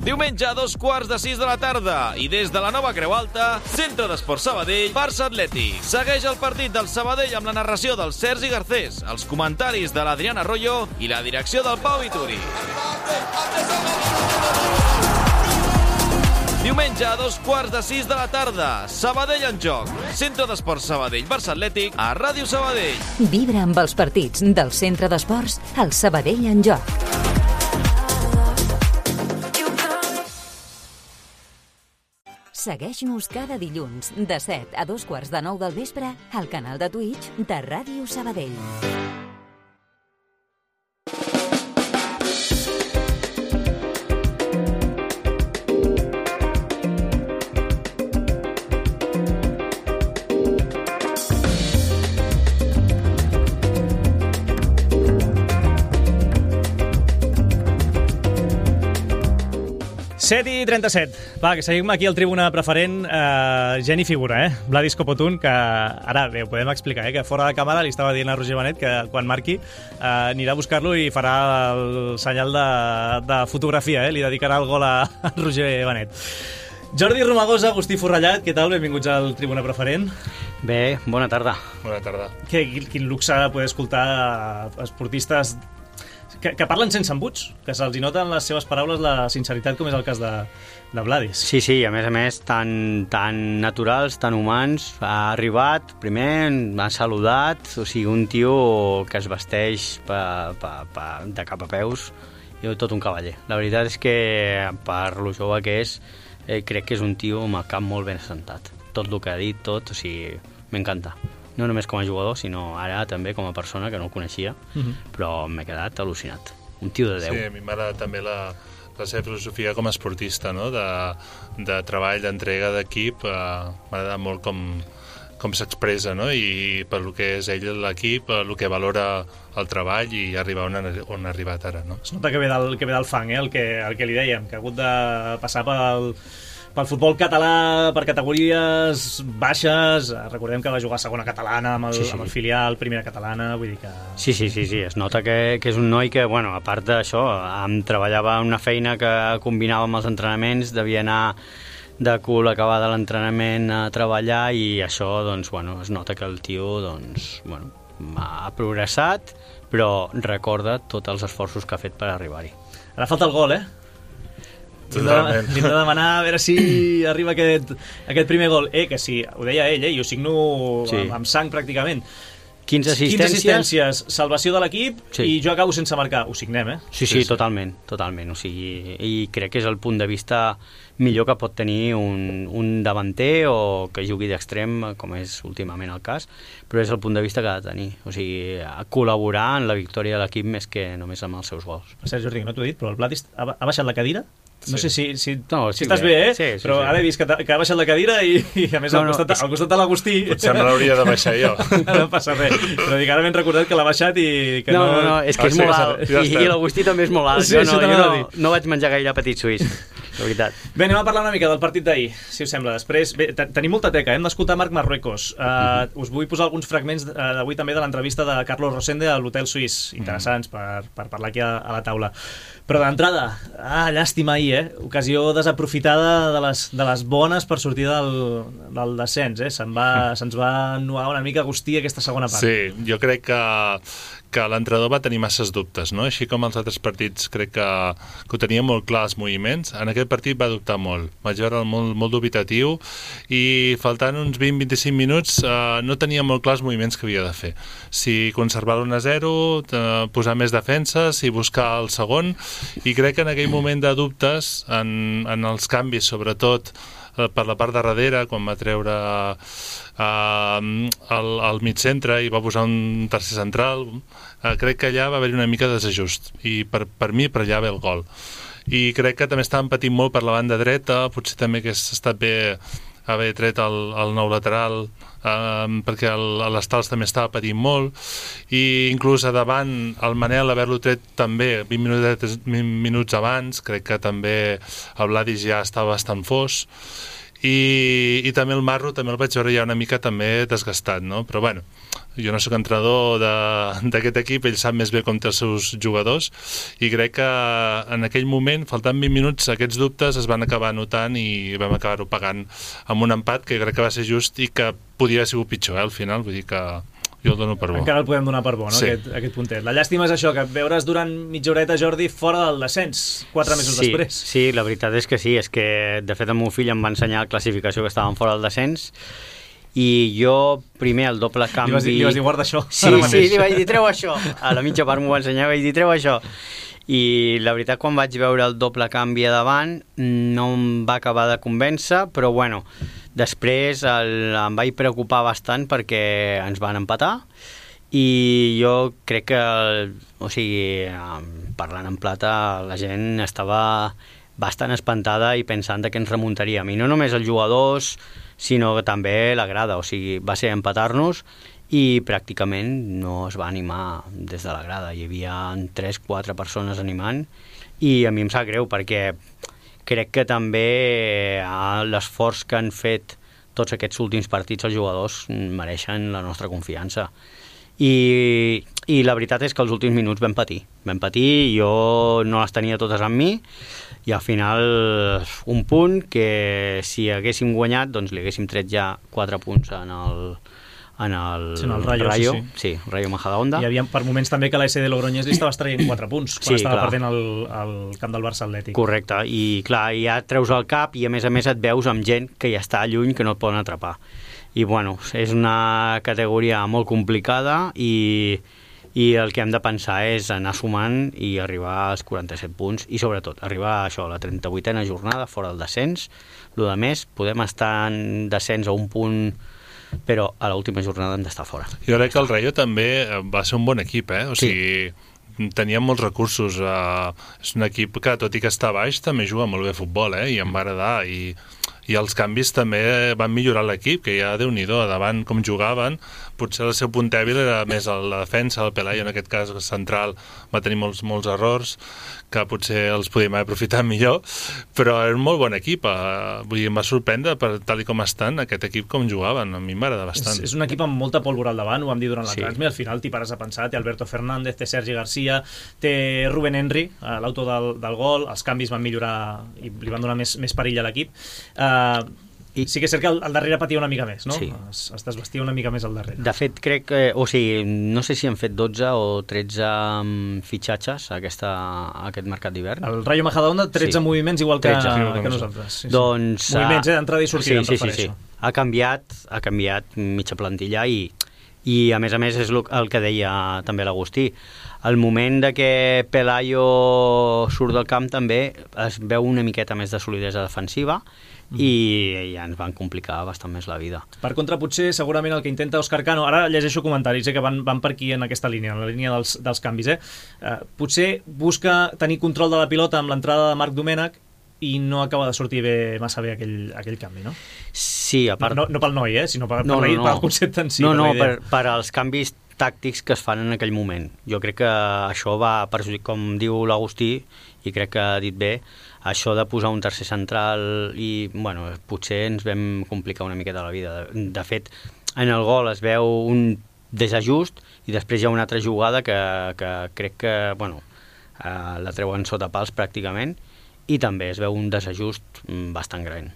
Diumenge a 5:15 de la tarda i des de la nova Creu Alta, Centre d'Esport Sabadell, Barça Atlètic. Segueix el partit del Sabadell amb la narració del Sergi Garcés, els comentaris de l'Adriana Arroyo i la direcció del Pau Vituri. Diumenge a 5:15 de la tarda, Sabadell en joc. Centre d'Esports Sabadell, Barça Atlètic, a Ràdio Sabadell. Vibra amb els partits del Centre d'Esports al Sabadell en joc. Segueix-nos cada dilluns de 7 a 8:15 del vespre al canal de Twitch de Ràdio Sabadell. Set i 37. Va, que seguim aquí al Tribuna Preferent. Gent i figura, Vladis Kopotun, que ara bé, ho podem explicar, que fora de càmera li estava dient a Roger Benet que quan marqui anirà a buscar-lo i farà el senyal de fotografia, li dedicarà el gol a Roger Benet. Jordi Romagosa, Agustí Forrellat, què tal? Benvinguts al Tribuna Preferent. Bé, bona tarda. Bona tarda. Quin luxe poder escoltar esportistes que parlen sense embuts, que se'ls nota en les seves paraules la sinceritat, com és el cas de Vladis. Sí, a més, tan naturals, tan humans. Ha arribat, primer, m'ha saludat, o sigui, un tio que es vesteix de cap a peus, i tot un cavaller. La veritat és que, per lo jove que és, crec que és un tio amb el cap molt ben assentat. Tot el que ha dit, o sigui, m'encanta. No només com a jugador, sinó ara també com a persona, que no el coneixia, però m'he quedat al·lucinat. Un tio de 10. Sí, a mi m'agrada també la seva filosofia com a esportista, no? De treball, d'entrega d'equip. M'agrada molt com com s'expressa, no? I per lo que és ell, l'equip, el que valora el treball i arribar on ha arribat ara, no? Es nota que ve del fang, el que li dèiem, que ha hagut de passar pel futbol català, per categories baixes. Recordem que va jugar a segona catalana amb el filial, primera catalana, vull dir que... Sí, es nota que és un noi que, bueno, a part d'això, treballava en una feina que combinava amb els entrenaments, devia anar de cul acabar de l'entrenament a treballar i això, doncs, bueno, es nota que el tio, doncs, bueno, ha progressat, però recorda tots els esforços que ha fet per arribar-hi. Ara falta el gol, Totalment. Li hem de demanar a veure si arriba aquest primer gol. Que sí, ho deia ell, jo signo amb sang pràcticament. 15 assistències, salvació de l'equip i jo acabo sense marcar. Ho signem, Sí, totalment. O sigui, i crec que és el punt de vista millor que pot tenir un davanter o que jugui d'extrem, com és últimament el cas, però és el punt de vista que ha de tenir. O sigui, col·laborar en la victòria de l'equip més que només amb els seus gols. Sergi Jordi, no t'ho he dit, però el Blatis ha baixat la cadira? No sé si estàs bé, bé, Sí, però ara he vist que ha baixat la cadira i a més al costat de l'Agustí... Potser me l'hauria de baixar jo. No passa res, però dic, ara m'he recordat que l'ha baixat i que no... No, és que és molt alt, i l'Agustí també és molt alt. Sí, jo no vaig menjar gaire petit suís, la veritat. Bé, anem a parlar una mica del partit d'ahir, si us sembla. Després, bé, tenim molta teca, hem d'escoltar Marc Marruecos. Us vull posar alguns fragments d'avui també de l'entrevista de Carlos Rosende a l'Hotel Suís, interessants per parlar aquí a la taula. Però d'entrada, llàstima ahir, ocasió desaprofitada de les bones per sortir del descens, se'ns va ennuar una mica Agustí aquesta segona part. Sí, jo crec que l'entrenador va tenir masses dubtes, no? Així com els altres partits crec que ho tenia molt clar els moviments, en aquest partit va dubtar molt, vaig veure molt dubitatiu i faltant uns 20-25 minuts no tenia molt clar els moviments que havia de fer, si conservar l'1-0, posar més defenses i buscar el segon, i crec que en aquell moment de dubtes en els canvis, sobretot per la part de darrere, quan va treure al mig centre i va posar un tercer central, crec que allà va haver-hi una mica de desajust i per mi per allà ve el gol. I crec que també estàvem patint molt per la banda dreta, potser també hagués estat bé haver tret el nou lateral, perquè l'Estals també estava patint molt, i inclús a davant el Manel haver-lo tret també 20 minuts abans, crec que també el Vladis ja estava bastant fos, i també el Marro també el vaig veure ja una mica també desgastat, no? Però bueno, jo no sóc entrenador d'aquest equip, ell sap més bé com té els seus jugadors, i crec que en aquell moment, faltant 20 minuts, aquests dubtes es van acabar notant i vam acabar-ho pagant amb un empat que crec que va ser just i que podia haver sigut pitjor, al final, vull dir que jo el dono per bo. Encara el podem donar per bo, no? Sí. Aquest puntet. La llàstima és això, que veure's durant mitja horeta, Jordi, fora del descens, 4 mesos després. Sí, la veritat és que sí, és que de fet el meu fill em va ensenyar la classificació que estàvem fora del descens i jo primer el doble canvi... Li vas dir, guarda això. Sí, li vaig dir, treu això. A la mitja part m'ho va ensenyar, vaig dir, treu això. I la veritat, quan vaig veure el doble canvi a davant, no em va acabar de convèncer, però bueno, després em vaig preocupar bastant perquè ens van empatar i jo crec que, o sigui, parlant en plata, la gent estava bastant espantada i pensant que ens remuntaríem. I no només els jugadors, sinó també la grada, o sigui, va ser empatar-nos i pràcticament no es va animar des de la grada. Hi havia 3-4 persones animant i a mi em sap greu perquè crec que també l'esforç que han fet tots aquests últims partits els jugadors mereixen la nostra confiança. I la veritat és que els últims minuts vam patir, jo no les tenia totes amb mi i al final un punt que si haguéssim guanyat doncs li haguéssim tret ja 4 punts en el Rayo, sí, Rayo Majadahonda. Hi havia per moments també que la SD Logroñés li estava traient 4 punts quan estava perdent el camp del Barça Atlètic. Correcte, i clar, ja et treus el cap i a més et veus amb gent que ja està lluny que no et poden atrapar. I bueno, és una categoria molt complicada i el que hem de pensar és anar sumant i arribar als 47 punts i sobretot arribar a això, la 38a jornada fora del descens. Lo de més, podem estar en descens a un punt, però a l'última jornada hem d'estar fora. Jo crec que el Rayo també va ser un bon equip, o sigui, tenia molts recursos, és un equip que tot i que està baix també juga molt bé a futbol, i em va agradar, i I els canvis també van millorar l'equip, que ja Déu-n'hi-do, a davant com jugaven, potser el seu punt dèbil era més la defensa, el Pelayo en aquest cas central va tenir molts errors que potser els podíem haver aprofitat millor, però era un molt bon equip, vull dir, em va sorprendre per tal i com estan aquest equip com jugaven, a mi m'agrada bastant. És un equip amb molta pólvora al davant, ho vam dir durant la transmissió, al final t'hi pares a pensar, té Alberto Fernández, té Sergi Garcia, té Rubén Henry, l'autor del gol, els canvis van millorar i li van donar més perill a l'equip. Sí que és cert que al darrere patia una mica més, no? Sí. Es desvestia una mica més al darrere. De fet, crec que, no sé si han fet 12 o 13 fitxatges a aquest mercat d'hivern. El Rayo Majadahonda, 13 moviments igual que nosaltres. Sí. Doncs, moviments, d'entrada i sortida, em refereixo. Ha canviat mitja plantilla i a més és el que deia també l'Agustí. Al moment de que Pelayo surt del camp també es veu una miqueta més de solidesa defensiva i ja ens van complicar bastant més la vida. Per contra, potser, segurament el que intenta Òscar Cano, ara llegeixo comentaris que van per aquí en aquesta línia, en la línia dels canvis, potser busca tenir control de la pilota amb l'entrada de Marc Domènech i no acaba de sortir massa bé aquell canvi, no? Sí, a part... No pel noi, sinó pel concepte en si. Per als canvis tàctics que es fan en aquell moment. Jo crec que això va perjudicar, com diu l'Agustí, i crec que ha dit bé, això de posar un tercer central i, potser ens vam complicar una miqueta la vida. De fet, en el gol es veu un desajust i després hi ha una altra jugada que crec que, la treuen sota pals pràcticament i també es veu un desajust bastant gran.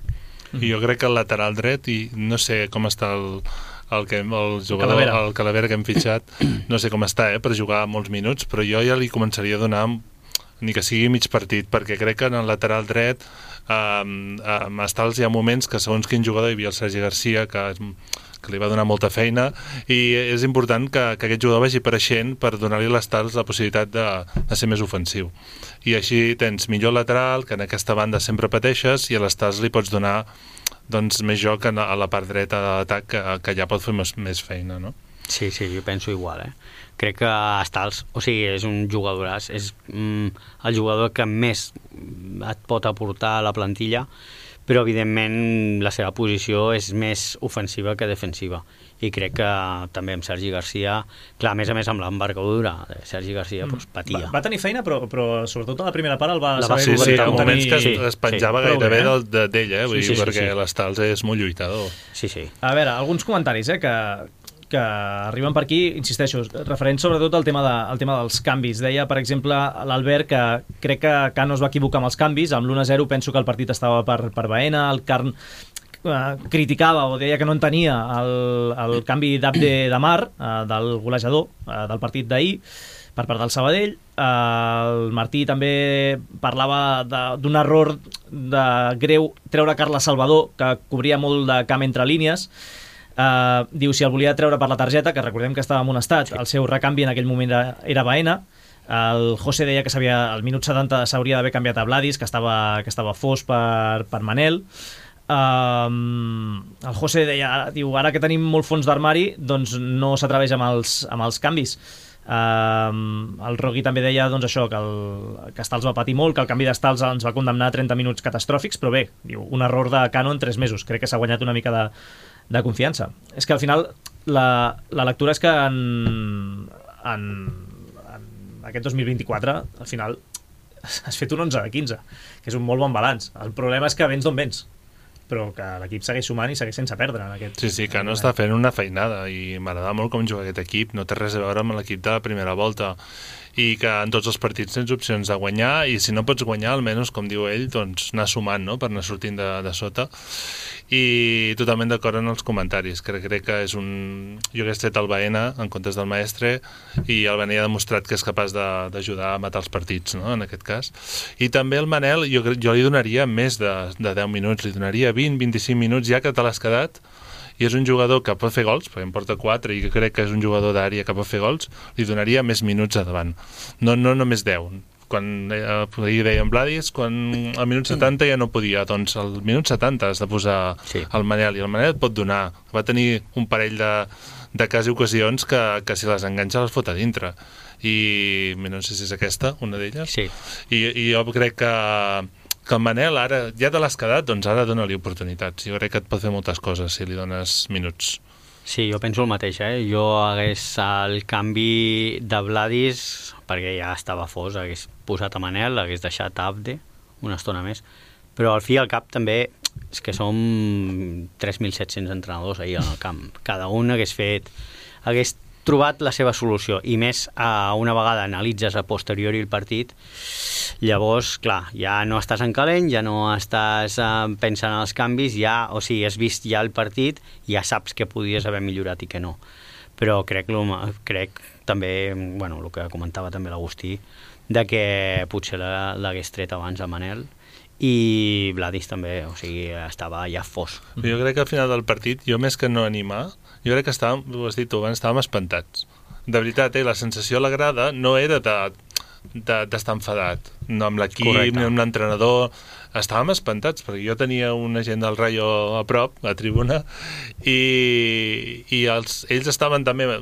I jo crec que el lateral dret, i no sé com està el jugador, el Calavera que hem fitxat, no sé com està per jugar molts minuts, però jo ja li començaria a donar ni que sigui mig partit, perquè crec que en el lateral dret hi ha moments que segons quin jugador, hi havia el Sergi Garcia que li va donar molta feina, i és important que aquest jugador vagi apareixent per donar-li a l'Estals la possibilitat de ser més ofensiu. I així tens millor lateral, que en aquesta banda sempre pateixes, i a l'Estals li pots donar més joc a la part dreta de l'atac, que ja pot fer més feina, no? Sí, jo penso igual, Crec que Estals, és un jugadoràs, és el jugador que més et pot aportar a la plantilla, però evidentment la seva posició és més ofensiva que defensiva, i crec que també amb Sergi Garcia, clar, a més amb l'envergadura de Sergi Garcia patia. Va tenir feina, però sobretot a la primera part el va saber... Sí, en moments que es penjava gairebé d'ell, perquè l'Estals és molt lluitador. Sí. A veure, alguns comentaris que arriben per aquí, insisteixo, referents sobretot al tema dels canvis. Deia, per exemple, l'Albert que crec que Cano es va equivocar amb els canvis, amb l'1-0 penso que el partit estava per Baena, el Carn criticava o deia que no entenia el canvi d'Abde Damar, del golejador del partit d'ahir, per part del Sabadell. El Martí també parlava d'un error greu treure Carles Salvador, que cobria molt de camp entre línies. Diu, si el volia treure per la targeta, que recordem que estava amonestat, el seu recanvi en aquell moment era Baena. El José deia que al minut 70 s'hauria d'haver canviat a Vladis, que estava fos per Manel. El José deia, ara que tenim molt fons d'armari, doncs no s'atreveix amb els canvis. El Rogui també deia això, que Stals va patir molt, que el canvi d'Stals ens va condemnar a 30 minuts catastròfics, però bé, diu, un error de Cano en 3 mesos. Crec que s'ha guanyat una mica de confiança. És que al final la lectura és que en aquest 2024 al final has fet un 11 de 15, que és un molt bon balanç. El problema és que vens d'on vens, però que l'equip segueix sumant i segueix sense perdre en aquest... Sí, que no està fent una feinada, i m'agrada molt com juga aquest equip, no té res a veure amb l'equip de la primera volta, i que en tots els partits tens opcions de guanyar, i si no pots guanyar, almenys, com diu ell, doncs anar sumant, no?, per anar sortint de sota. I totalment d'acord en els comentaris. Crec que és un... Jo que he estat el Baena en comptes del Maestre, i el Baena ja ha demostrat que és capaç d'ajudar a matar els partits, no?, en aquest cas. I també el Manel, jo li donaria més de 10 minuts, li donaria 20-25 minuts, ja que te l'has quedat, i és un jugador que pot fer gols, perquè em porta 4 i que crec que és un jugador d'àrea que pot fer gols, li donaria més minuts a davant, no només 10. Quan ahir deien Vladis, quan al minut 70 ja no podia, doncs al minut 70 has de posar el Manel, i el Manel et pot donar. Va tenir un parell de quasi ocasions que si les enganxa les fot a dintre, i no sé si és aquesta, una d'elles, sí. I jo crec que que el Manel ara, ja te l'has quedat, doncs ara dona-li oportunitats. Jo crec que et pot fer moltes coses si li dones minuts. Sí, jo penso el mateix, Jo hagués el canvi de Vladis, perquè ja estava fos, hagués posat a Manel, hagués deixat Abde una estona més, però al fi i al cap també és que som 3.700 entrenadors ahir al camp. Cada un hagués trobat la seva solució, i més una vegada analitzes a posteriori el partit, llavors, clar, ja no estàs en calent, ja no estàs pensant en els canvis, o sigui, has vist ja el partit, ja saps què podies haver millorat i què no. Però crec també, bueno, el que comentava també l'Agustí, de que potser l'hagués tret abans a Manel, i Vladis també, o sigui, estava ja fos. Jo crec que al final del partit, jo més que no animar, jo crec que estàvem, ho has dit tu abans, estàvem espantats. De veritat, la sensació a la grada no era d'estar enfadat, no amb l'equip, ni amb l'entrenador. Estàvem espantats, perquè jo tenia una gent del Rayo a prop, a tribuna, i ells estaven també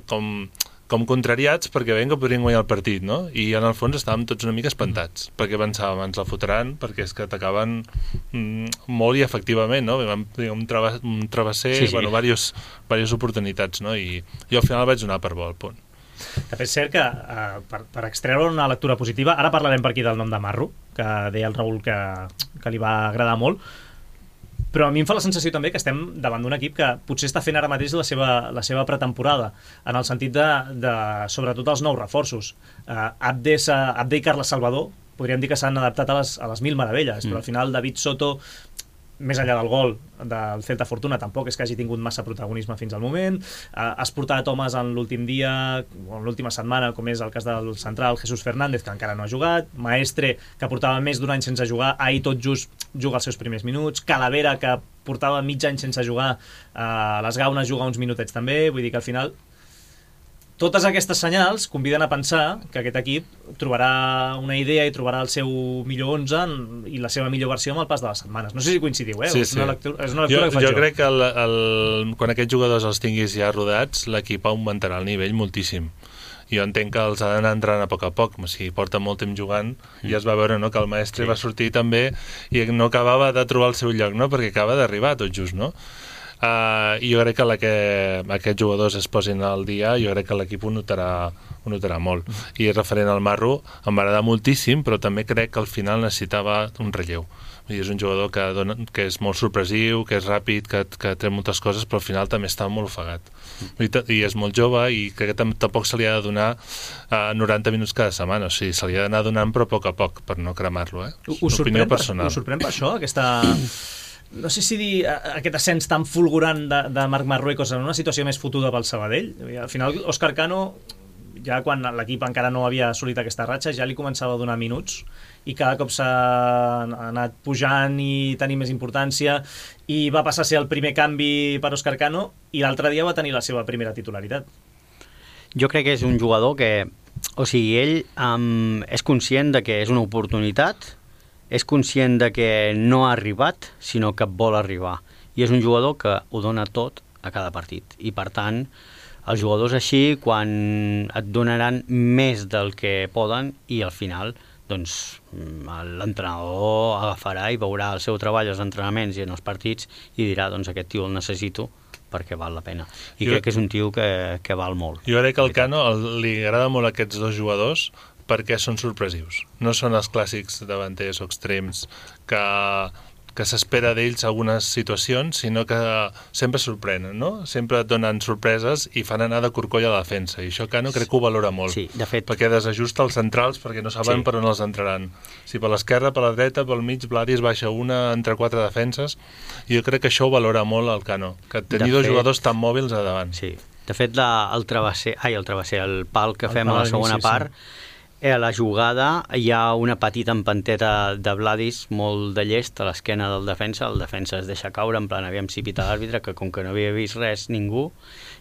com contrariats perquè veien que podrien guanyar el partit, no? I en el fons estàvem tots una mica espantats, perquè pensàvem, ens la fotran, perquè és que atacaven molt i efectivament, no? Un travesser, sí. Bueno, diverses oportunitats, no? I jo al final vaig donar per bo al punt. De fet, és cert que per extreure una lectura positiva, ara parlarem per aquí del nom de Marro, que deia el Raül que li va agradar molt, però a mi em fa la sensació també que estem davant d'un equip que potser està fent ara mateix la seva pretemporada, en el sentit de sobretot els nous reforços. Abde i Carles Salvador podríem dir que s'han adaptat a les mil meravelles, però al final David Soto, més enllà del gol del Celta Fortuna, tampoc és que hagi tingut massa protagonisme fins al moment. Has portat homes en l'últim dia o en l'última setmana, com és el cas del central Jesús Fernández, que encara no ha jugat, Maestre, que portava més d'un any sense jugar, ahir tot just juga els seus primers minuts, Calavera, que portava mig any sense jugar, a les Gaunes juga uns minutets també, vull dir que al final totes aquestes senyals conviden a pensar que aquest equip trobarà una idea i trobarà el seu millor 11 i la seva millor versió amb el pas de les setmanes. No sé si coincidiu, Sí. És una lectura que faig jo crec que quan aquests jugadors els tinguis ja rodats, l'equip augmentarà el nivell moltíssim. Jo entenc que els ha d'anar entrant a poc, o sigui, porta molt temps jugant, i es va veure, no?, que el Maestre va sortir també i no acabava de trobar el seu lloc, no?, perquè acaba d'arribar tot just, no? I jo crec que aquests jugadors es posin al dia, jo crec que l'equip ho notarà molt. I referent al Marro, em va agradar moltíssim, però també crec que al final necessitava un relleu. I és un jugador que és molt sorpresiu, que és ràpid, que té moltes coses, però al final també està molt ofegat. I és molt jove, i crec que tampoc se li ha de donar 90 minuts cada setmana, o sigui, se li ha d'anar donant, però a poc, per no cremar-lo, Opinió personal. Us sorprèn per això, aquesta... No sé si dir aquest ascens tan fulgurant de Marc Marruecos en una situació més fotuda pel Sabadell. Al final, Òscar Cano, ja quan l'equip encara no havia assolit aquesta ratxa, ja li començava a donar minuts, i cada cop s'ha anat pujant i tenir més importància, i va passar a ser el primer canvi per Òscar Cano, i l'altre dia va tenir la seva primera titularitat. Jo crec que és un jugador que, o sigui, ell és conscient de que és una oportunitat, és conscient de que no ha arribat, sinó que vol arribar. I és un jugador que ho dona tot a cada partit. I, per tant, els jugadors així, quan et donaran més del que poden, i al final, doncs, l'entrenador agafarà i veurà el seu treball als entrenaments i en els partits i dirà, doncs, aquest tio el necessito perquè val la pena. I crec que és un tio que val molt. Jo crec que al Cano li agrada molt aquests dos jugadors perquè són sorpresius. No són els clàssics davanters o extrems que s'espera d'ells algunes situacions, sinó que sempre sorprenen, no? Sempre et donen sorpreses i fan anar de corcoll a la defensa. I això Cano crec que ho valora molt. Sí, de fet. Perquè desajusta els centrals perquè no saben per on els entraran. Si per l'esquerra, per la dreta, pel mig, Vladis baixa una entre 4 defenses. I jo crec que això ho valora molt el Cano, que tenir dos jugadors tan mòbils a davant. Sí. De fet, el pal que fem a la segona part, a la jugada hi ha una petita empanteta de Vladis molt de llest a l'esquena del defensa. El defensa es deixa caure, en plan, aviam si pita l'àrbitre, que com que no havia vist res ningú,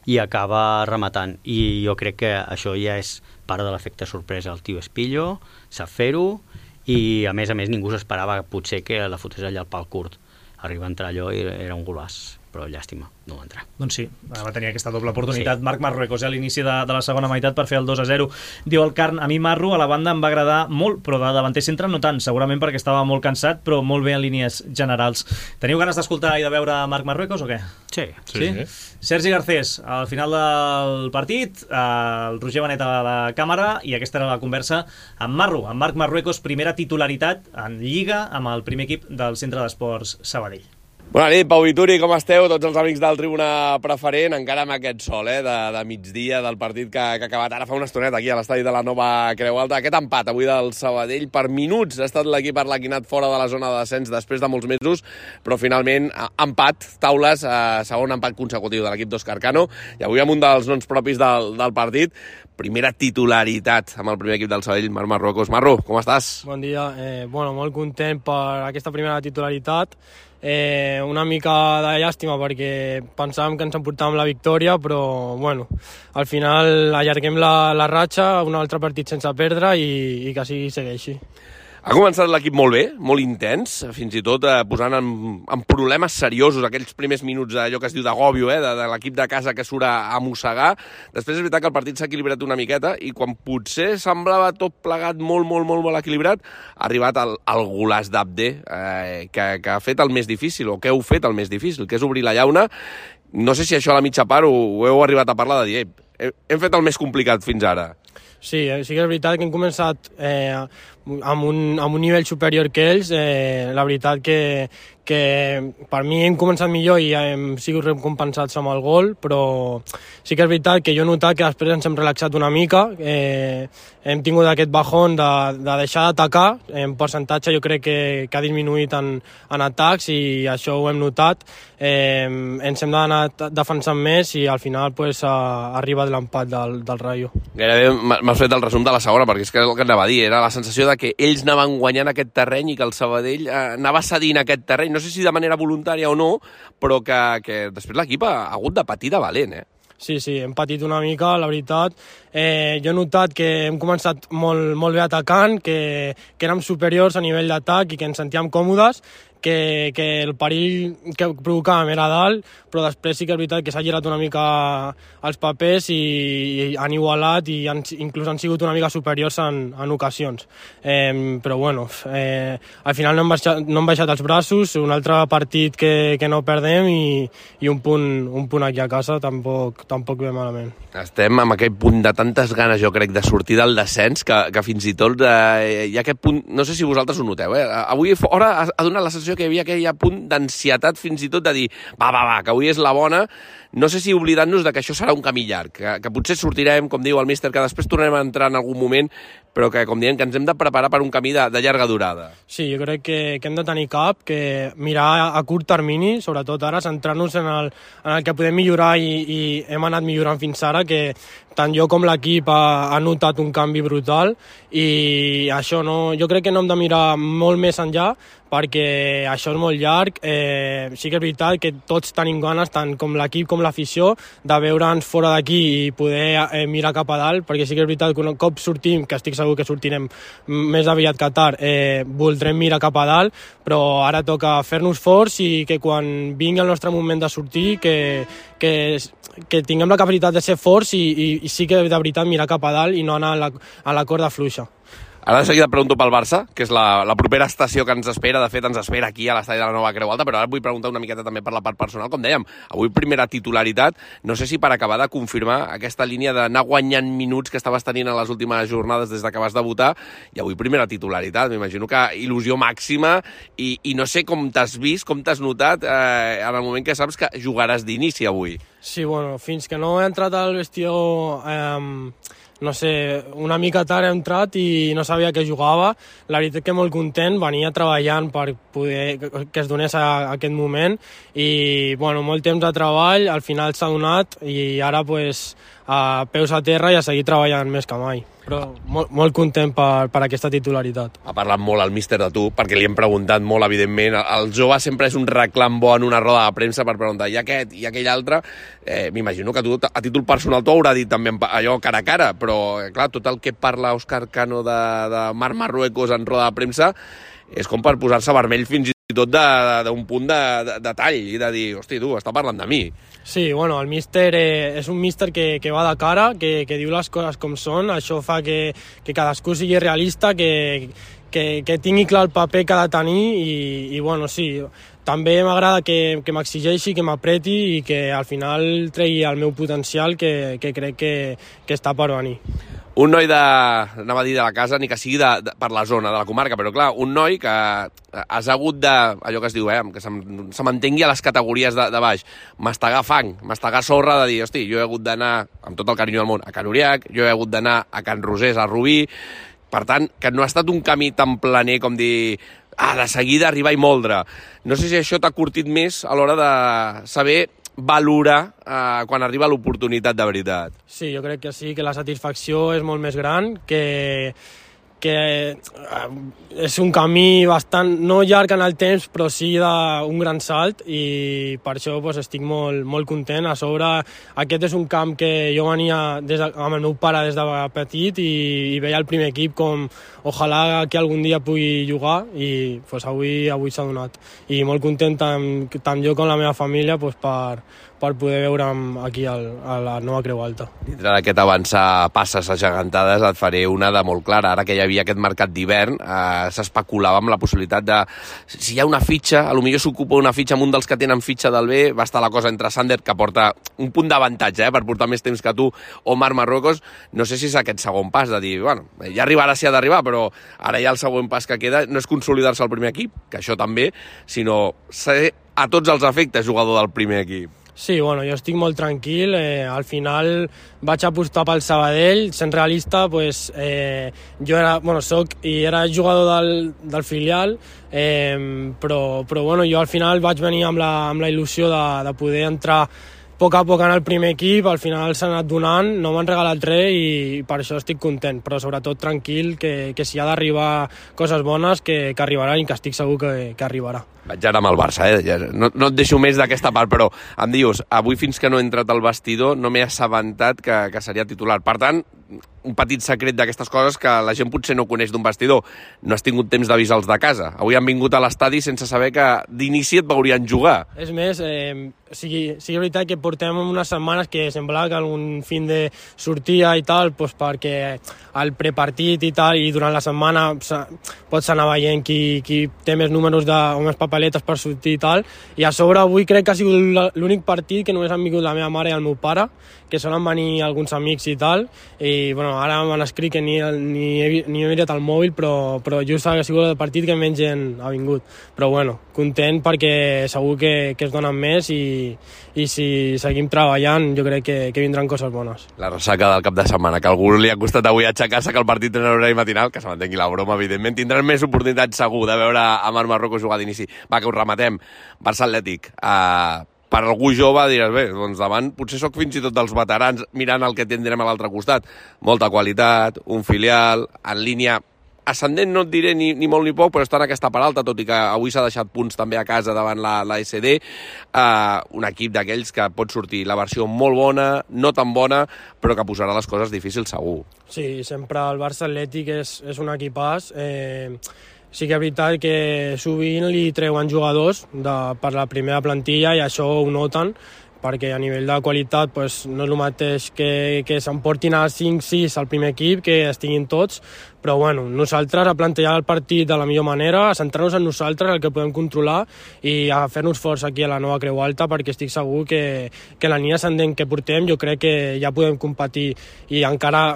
i acaba rematant. I jo crec que això ja és part de l'efecte sorpresa. El tio és pillo, sap fer-ho, i a més ningú s'esperava potser que la fotés allà al pal curt. Arriba a entrar allò i era un golaç. però llàstima, no va entrar. Doncs sí, va tenir aquesta doble oportunitat. Marc Marruecos a l'inici de la segona meitat per fer el 2-0. Diu el Carn, a mi Marru a la banda em va agradar molt, però de davanter centre no tant, segurament perquè estava molt cansat, però molt bé en línies generals. Teniu ganes d'escoltar i de veure Marc Marruecos o què? Sí. Sergi Garcés, al final del partit, el Roger Benet a la càmera, i aquesta era la conversa amb Marru, amb Marc Marruecos, primera titularitat en Lliga amb el primer equip del Centre d'Esports Sabadell. Bona nit, Pau Vituri, com esteu? Tots els amics del Tribuna Preferent, encara amb aquest sol de migdia del partit que ha acabat ara fa una estoneta aquí a l'estadi de la Nova Creu Alta. Aquest empat avui del Sabadell, per minuts ha estat l'equip arlequinat fora de la zona de descens després de molts mesos, però finalment empat, taules, segon empat consecutiu de l'equip d'Òscar Cano, i avui amb un dels noms propis del partit, primera titularitat amb el primer equip del Sabadell, Marc Marruecos. Marru, com estàs? Bon dia, molt content per aquesta primera titularitat. Una mica de llàstima perquè pensàvem que ens emportàvem la victòria, però al final allarguem la ratxa, un altre partit sense perdre i que sigui segueixi. Ha començat l'equip molt bé, molt intens, fins i tot posant en problemes seriosos aquells primers minuts d'allò que es diu d'agòbio, de l'equip de casa que surt a mossegar. Després és veritat que el partit s'ha equilibrat una miqueta i quan potser semblava tot plegat molt equilibrat, ha arribat el golaç d'Abde, que ha fet el més difícil, o que heu fet el més difícil, que és obrir la llauna. No sé si això a la mitja part ho heu arribat a parlar de dir, hem fet el més complicat fins ara. Sí que és veritat que hem començat amb un nivell superior que ells. La veritat que per mi hem començat millor i hem sigut recompensats amb el gol, però sí que és veritat que jo he notat que després ens hem relaxat una mica, hem tingut aquest bajón de deixar d'atacar, en percentatge jo crec que ha disminuït en atacs i això ho hem notat, ens hem d'anar defensant més i al final arriba l'empat del Rayo. Gairebé m'has fet el resum de la segona, perquè és que el que anava a dir, era la sensació de que ells anaven guanyant aquest terreny i que el Sabadell anava cedint aquest terreny, no sé si de manera voluntària o no, però que després l'equip ha hagut de patir de valent, Sí, hem patit una mica, la veritat. Jo he notat que hem començat molt bé atacant, que érem superiors a nivell d'atac i que ens sentíem còmodes, que el perill que provocàvem era dalt, però després sí que és veritat que s'ha girat una mica els papers i han igualat i inclús han sigut una mica superiors en ocasions. Però al final no hem baixat els braços, un altre partit que no perdem i un punt aquí a casa tampoc ve malament. Estem amb aquest punt de tantes ganes, jo crec, de sortir del descens, que fins i tot hi ha aquest punt, no sé si vosaltres ho noteu, avui fora ha donat la sensació que hi havia aquell punt d'ansietat fins i tot de dir, va, que avui és la bona, no sé si oblidant-nos de que això serà un camí llarg, que potser sortirem, com diu el míster, que després tornarem a entrar en algun moment, però que, com diem, que ens hem de preparar per un camí de llarga durada. Sí, jo crec que hem de tenir que mirar a curt termini, sobretot ara, centrar-nos en el que podem millorar i hem anat millorant fins ara, que tant jo com l'equip ha notat un canvi brutal i això jo crec que no hem de mirar molt més enllà perquè això és molt llarg. Sí que és veritat que tots tenim ganes, tant com l'equip com l'afició, de veure'ns fora d'aquí i poder mirar cap a dalt, perquè sí que és veritat que un cop sortim, que estic segur que sortirem més aviat que tard, voldrem mirar cap a dalt, però ara toca fer-nos forts i que quan vingui el nostre moment de sortir que tinguem la capacitat de ser forts i sí que de veritat mirar cap a dalt i no anar a la corda fluixa. Ara de seguida et pregunto pel Barça, que és la propera estació que ens espera. De fet, ens espera aquí a l'estadi de la Nova Creu Alta, però ara et vull preguntar una miqueta també per la part personal. Com dèiem, avui primera titularitat. No sé si per acabar de confirmar aquesta línia d'anar guanyant minuts que estaves tenint en les últimes jornades des que vas debutar, i avui primera titularitat. M'imagino que il·lusió màxima i no sé com t'has vist, com t'has notat en el moment que saps que jugaràs d'inici avui. Sí, fins que no he entrat al vestidor... no sé, una mica tard he entrat i no sabia que jugava. La veritat que molt content, venia treballant per poder que es donés aquest moment i molt temps de treball, al final s'ha donat i ara peus a terra i a seguir treballant més que mai. Però molt content per aquesta titularitat. Ha parlat molt el míster de tu, perquè li hem preguntat molt, evidentment. El jove sempre és un reclam bo en una roda de premsa per preguntar i aquest i aquell altre. M'imagino que tu, a títol personal, t'ho haurà dit també allò cara a cara, però clar, tot el que parla Òscar Cano de Marc Marruecos en roda de premsa és com per posar-se vermell fins i tot d'un punt de tall i de dir, hosti, tu, està parlant de mi. Sí, bueno, el míster és un míster que va de cara, que diu les coses com són, això fa que cadascú sigui realista, que tingui clar el paper que ha de tenir i bueno, sí, també m'agrada que m'exigeixi, que m'apreti i que al final tregui el meu potencial que crec que està per venir. Un noi anava a dir de la casa, ni que sigui per la zona, de la comarca, però clar, un noi que has hagut de, allò que es diu, que se mantengui a les categories de baix, mastegar fang, mastegar sorra, de dir, hosti, jo he hagut d'anar, amb tot el carinyo del món, a Can Uriac, jo he hagut d'anar a Can Rosés, a Rubí, per tant, que no ha estat un camí tan planer com dir, de seguida arribar i moldre. No sé si això t'ha curtit més a l'hora de saber valorar quan arriba l'oportunitat de veritat. Sí, jo crec que sí, que la satisfacció és molt més gran, que és un camí bastant, no llarg en el temps, però sí d'un gran salt i per això estic molt content. A sobre, aquest és un camp que jo venia amb el meu pare des de petit i veia el primer equip com ojalà que algun dia pugui jugar i avui s'ha donat. I molt content tant jo com la meva família per poder veure'm aquí a la nova Creu Alta. Dintre d'aquest avançar passes agegantades et faré una de molt clara. Ara que hi havia aquest mercat d'hivern, s'especulava amb la possibilitat de... Si hi ha una fitxa, potser s'ocupa una fitxa amb un dels que tenen fitxa del B, va estar la cosa entre Sander, que porta un punt d'avantatge per portar més temps que tu, o Marc Marruecos. No sé si és aquest segon pas de dir, bueno, ja arribarà si ha d'arribar, però ara ja el següent pas que queda no és consolidar-se al primer equip, que això també, sinó ser a tots els efectes jugador del primer equip. Sí, bueno, jo estic molt tranquil. Al final vaig apostar pel Sabadell. Sent realista, jo era jugador del filial, però jo al final vaig venir amb la il·lusió de poder entrar a poc en el primer equip. Al final s'ha anat donant, no m'han regalat res i per això estic content, però sobretot tranquil, que si ha d'arribar coses bones, que arribaran i que estic segur que arribarà. Vaig ara amb el Barça, no et deixo més d'aquesta part, però em dius, avui fins que no he entrat al vestidor no m'he assabentat que seria titular. Per tant, un petit secret d'aquestes coses que la gent potser no coneix d'un vestidor. No has tingut temps d'avisar-los de casa. Avui han vingut a l'estadi sense saber que d'inici et veurien jugar. És més, sigui veritat que portem unes setmanes que semblava que algun fin de sortia i tal, perquè al prepartit i tal, i durant la setmana pots anar veient qui té més números o més papeletes per sortir i tal, i a sobre avui crec que ha sigut l'únic partit que només han vingut la meva mare i el meu pare, que solen venir alguns amics i tal, i ara m'han escrit que ni he mirat el mòbil, però just ha sigut el partit que menys gent ha vingut. Però content perquè segur que es donen més i si seguim treballant jo crec que vindran coses bones. La ressaca del cap de setmana, que a algú li ha costat avui aixecar-se, que el partit en horari matinal, que se mantengui la broma, evidentment, tindran més oportunitats segur de veure a Marc Marruecos jugar d'inici. Va, que us rematem. Barça Atlètic. Per algú jove diràs, bé, doncs davant potser sóc fins i tot dels veterans mirant el que tindrem a l'altre costat. Molta qualitat, un filial, en línia ascendent no et diré ni molt ni poc, però està en aquesta part alta, tot i que avui s'ha deixat punts també a casa davant la SD. Un equip d'aquells que pot sortir la versió molt bona, no tan bona, però que posarà les coses difícils segur. Sí, sempre el Barça Atlètic és un equipàs. Sí que és veritat que sovint li treuen jugadors per la primera plantilla i això ho noten, perquè a nivell de qualitat no és el mateix que s'emportin a 5-6 al primer equip, que estiguin tots, però nosaltres a plantejar el partit de la millor manera, a centrar-nos en nosaltres, el que podem controlar, i a fer-nos forts aquí a la nova Creu Alta, perquè estic segur que la línia ascendent que portem jo crec que ja podem competir i encara...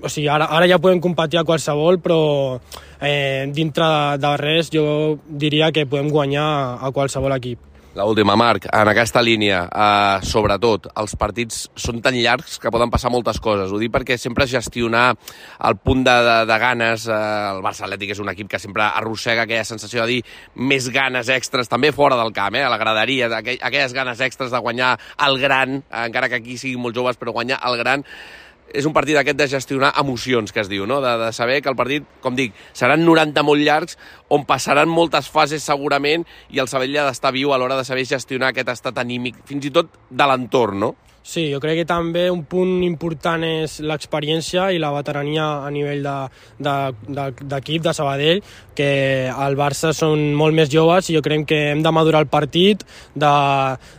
O sigui, ara ja podem competir a qualsevol, però dintre de res jo diria que podem guanyar a qualsevol equip. L'última, Marc, en aquesta línia, sobretot, els partits són tan llargs que poden passar moltes coses. Ho dic perquè sempre gestionar el punt de ganes, el Barça Atlètic és un equip que sempre arrossega aquella sensació de dir més ganes extres, també fora del camp, a la graderia, aquelles ganes extres de guanyar el gran, encara que aquí siguin molt joves, però guanyar el gran. És un partit aquest de gestionar emocions, que es diu, no? De saber que el partit, com dic, seran 90 molt llargs, on passaran moltes fases segurament, i el Sabadell ha d'estar viu a l'hora de saber gestionar aquest estat anímic, fins i tot de l'entorn, no? Sí, jo crec que també un punt important és l'experiència i la veterania a nivell d'equip de Sabadell, que al Barça són molt més joves i jo crec que hem de madurar el partit, de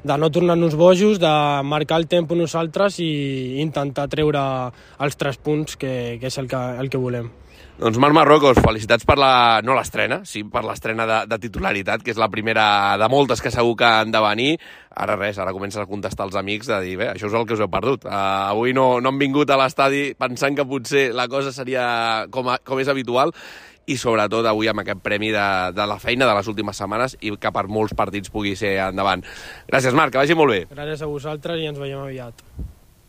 no tornar-nos bojos, de marcar el tempo nosaltres i intentar treure els 3 punts, que és el que volem. Doncs Marc Marruecos, felicitats per no l'estrena, sí, per l'estrena de titularitat, que és la primera de moltes que segur que han de venir. Ara comences a contestar als amics de dir, bé, això és el que us heu perdut. Avui no han vingut a l'estadi pensant que potser la cosa seria com és habitual, i sobretot avui amb aquest premi de la feina de les últimes setmanes i que per molts partits pugui ser endavant. Gràcies, Marc, que vagi molt bé. Gràcies a vosaltres i ens veiem aviat.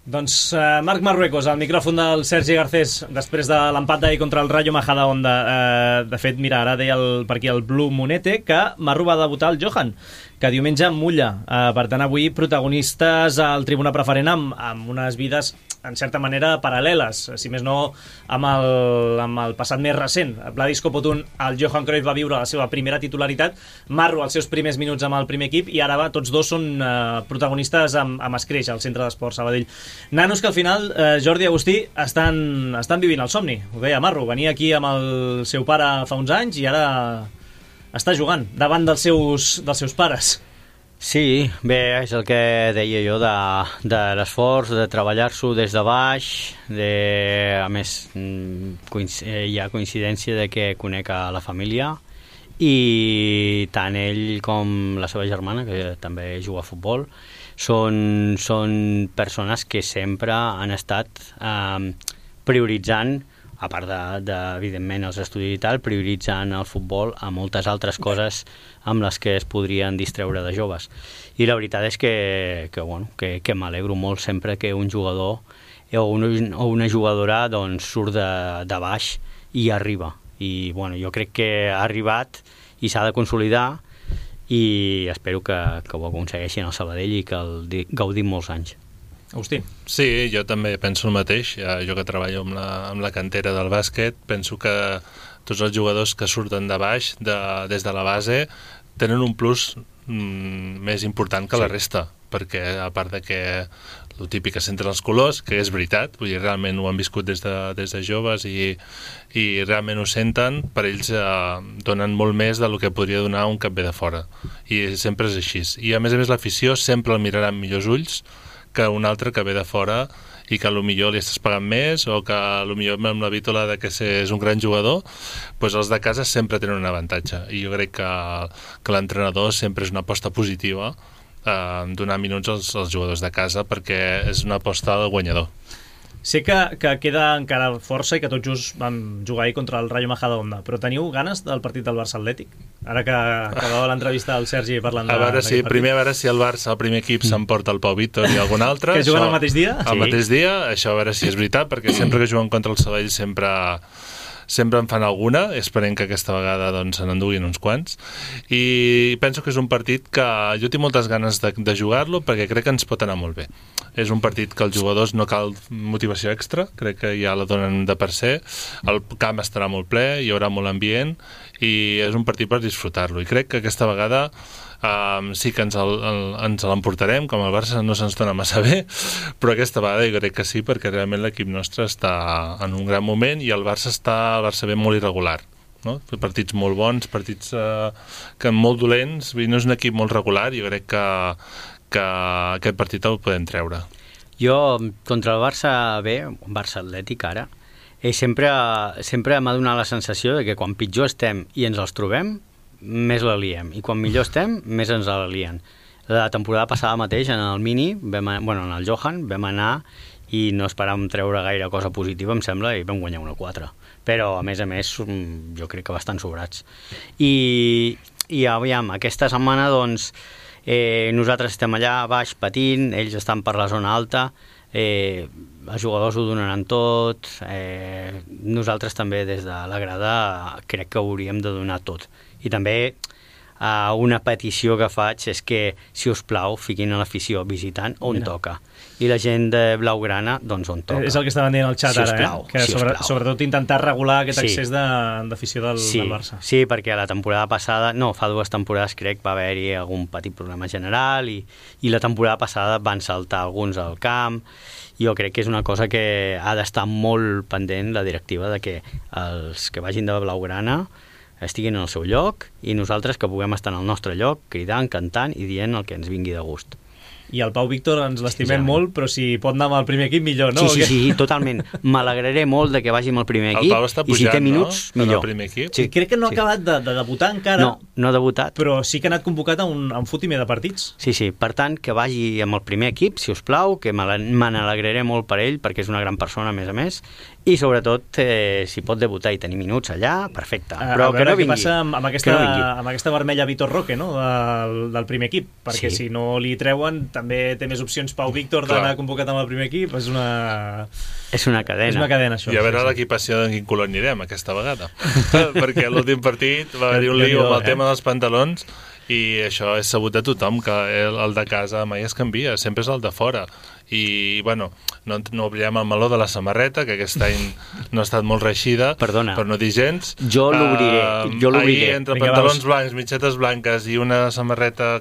Doncs Marc Marruecos, al micròfon del Sergi Garcés, després de l'empat d'ahir contra el Rayo Majadahonda. De fet, mira, ara deia per aquí el Blue Monete que Marru va debutar el Johan, que diumenge mulla. Per tant, avui protagonistes al Tribuna Preferent amb unes vides, en certa manera, paral·leles, si més no amb el passat més recent. Vladis Copotun, el Johan Cruyff va viure la seva primera titularitat, Marru els seus primers minuts amb el primer equip, i ara tots dos són protagonistes amb Escreix, al Centre d'Esports Sabadell. Nanos que al final, Jordi i Agustí, estan vivint el somni. Ho deia Marru, venia aquí amb el seu pare fa uns anys i ara està jugant davant dels seus pares. Sí, bé, és el que deia jo de l'esforç, de treballar-s'ho des de baix, a més hi ha coincidència de que conec a la família i tant ell com la seva germana, que també juga a futbol, són persones que sempre han estat prioritzant, a part evidentment els estudis i tal, prioritzant el futbol a moltes altres coses amb les que es podrien distreure de joves. I la veritat és que m'alegro molt sempre que un jugador o una jugadora doncs, surt de baix i arriba. I jo crec que ha arribat i s'ha de consolidar i espero que ho aconsegueixin al Sabadell i que el gaudim molts anys. Agustí. Sí, jo també penso el mateix. Jo que treballo amb la cantera del bàsquet, penso que tots els jugadors que surten de baix, des de la base, tenen un plus més important que la resta, perquè a part de que el típic que senten els colors, que és veritat, vull dir, realment ho han viscut des de joves i realment ho senten, per ells donen molt més del que podria donar un que ve de fora. I sempre és així. I a més l'afició sempre el mirarà amb millors ulls que un altre que ve de fora i que potser li estàs pagant més o que potser amb la vítola de que és un gran jugador, doncs els de casa sempre tenen un avantatge. I jo crec que l'entrenador sempre és una aposta positiva donar minuts als jugadors de casa perquè és una aposta del guanyador. Sé que queda encara força i que tot just vam jugar ahir contra el Rayo Majadahonda, però teniu ganes del partit del Barça Atlètic? Ara que acabava l'entrevista del Sergi parlant a veure si el Barça, el primer equip, s'emporta el Pau Víctor i algun altre. Que juguen al mateix dia? Al mateix dia, això a veure si és veritat, perquè sempre que juguen contra el Sabadell sempre en fan alguna, esperem que aquesta vegada se n'enduguin uns quants, i penso que és un partit que jo tinc moltes ganes de jugar-lo perquè crec que ens pot anar molt bé. És un partit que els jugadors no cal motivació extra, crec que ja la donen de per ser, el camp estarà molt ple, hi haurà molt ambient i és un partit per disfrutar-lo, i crec que aquesta vegada sí que ens l'emportarem, com el Barça no se'ns dona massa bé, però aquesta vegada jo crec que sí, perquè realment l'equip nostre està en un gran moment i el Barça ve molt irregular, no? Partits molt bons, partits que molt dolents, no és un equip molt regular, jo crec que aquest partit el podem treure. Jo, contra el Barça B, Barça Atlètic ara, sempre m'ha donat la sensació de que quan pitjor estem i ens els trobem, més la liem, i quan millor estem, més ens la lien. La temporada passada mateix, en el Mini, en el Johan, vam anar i no esperàvem treure gaire cosa positiva, em sembla, i vam guanyar 1-4. Però, a més, jo crec que bastant sobrats. I aviam, aquesta setmana, doncs, nosaltres estem allà baix patint, ells estan per la zona alta, els jugadors ho donaran tot, nosaltres també des de la grada crec que hauríem de donar tot. I també una petició que faig és que, si us plau, fiquin a l'afició visitant on toca. I la gent de Blaugrana, doncs on toca. És el que estaven dient al xat ara, que sobretot intentar regular aquest accés d'afició del Barça. Sí, perquè la temporada passada, fa 2 temporades crec, va haver-hi algun petit problema general i la temporada passada van saltar alguns al camp. Jo crec que és una cosa que ha d'estar molt pendent la directiva de que els que vagin de Blaugrana estiguin en el seu lloc i nosaltres que puguem estar en el nostre lloc cridant, cantant i dient el que ens vingui de gust. I el Pau Víctor ens l'estimem molt, però si pot anar amb el primer equip, millor, no? Sí, totalment. M'alegraré molt de que vagi amb el primer equip. El Pau està pujant, i si té minuts, millor. El primer equip? Sí. Crec que no ha acabat de debutar encara. No ha debutat. Però sí que ha anat convocat a un fotimer de partits. Sí. Per tant, que vagi amb el primer equip, si us plau, que me n'alegraré molt per ell, perquè és una gran persona, a més, i sobretot, si pot debutar i tenir minuts allà, perfecte. Però que no vingui. Què passa amb aquesta vermella Vitor Roque, no?, del primer equip, perquè si no li treuen també té més opcions Pau Víctor d'anar convocat amb el primer equip. És una cadena. És una cadena, això. I a veure l'equipació d'en quin color anirem aquesta vegada. Perquè l'últim partit va haver-hi un lío amb el tema dels pantalons i això és sabut de tothom, que el de casa mai es canvia, sempre és el de fora. I, bueno, no oblidem el meló de la samarreta, que aquest any no ha estat molt reeixida, per no dir gens. Jo l'obriré. Ahir, entre pantalons blancs, mitgetes blanques i una samarreta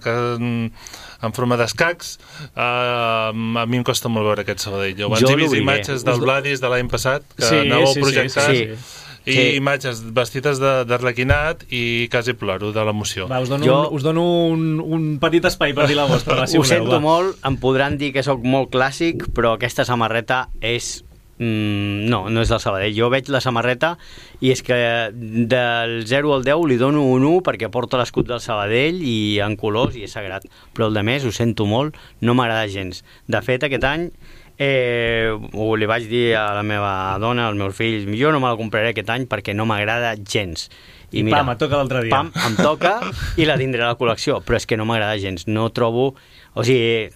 en forma d'escacs, a mi em costa molt veure aquest Sabadell. Abans he vist imatges del Vladis de l'any passat, que anàveu projectant, i imatges vestides d'arlequinat i quasi ploro de l'emoció. Us dono un petit espai per dir la vostra. Ho sento molt, em podran dir que sóc molt clàssic, però aquesta samarreta és... No és del Sabadell. Jo veig la samarreta i és que del 0 al 10 li dono un 1 perquè porta l'escut del Sabadell i en colors i és sagrat, però el de més ho sento molt, no m'agrada gens. De fet, aquest any li vaig dir a la meva dona, als meus fills, jo no me la compraré aquest any perquè no m'agrada gens. I mira, pam, et toca l'altre dia. Pam, em toca i la tindré a la col·lecció, però és que no m'agrada gens. No trobo... O sigui,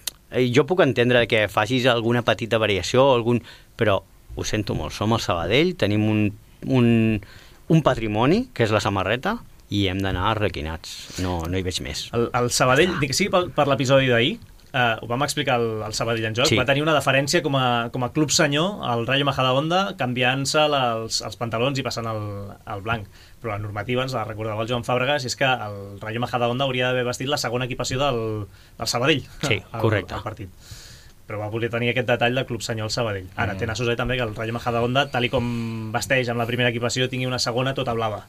jo puc entendre que facis alguna petita variació, però ho sento molt, som el Sabadell, tenim un patrimoni, que és la samarreta, i hem d'anar arlequinats. No hi veig més. El Sabadell, dic que sí, per l'episodi d'ahir, ho vam explicar al Sabadell en joc, va tenir una deferència com a club senyor al Rayo Majadahonda, canviant-se els pantalons i passant al blanc. Però la normativa, ens la recordava el Joan Fàbregas, és que el Rayo Majadahonda hauria d'haver vestit la segona equipació del Sabadell. Sí, correcte. Al partit. Però va voler tenir aquest detall del club senyor al Sabadell. Ara té nassos també que el Rayo Majadahonda, tal i com vesteix amb la primera equipació, tingui una segona tota blava.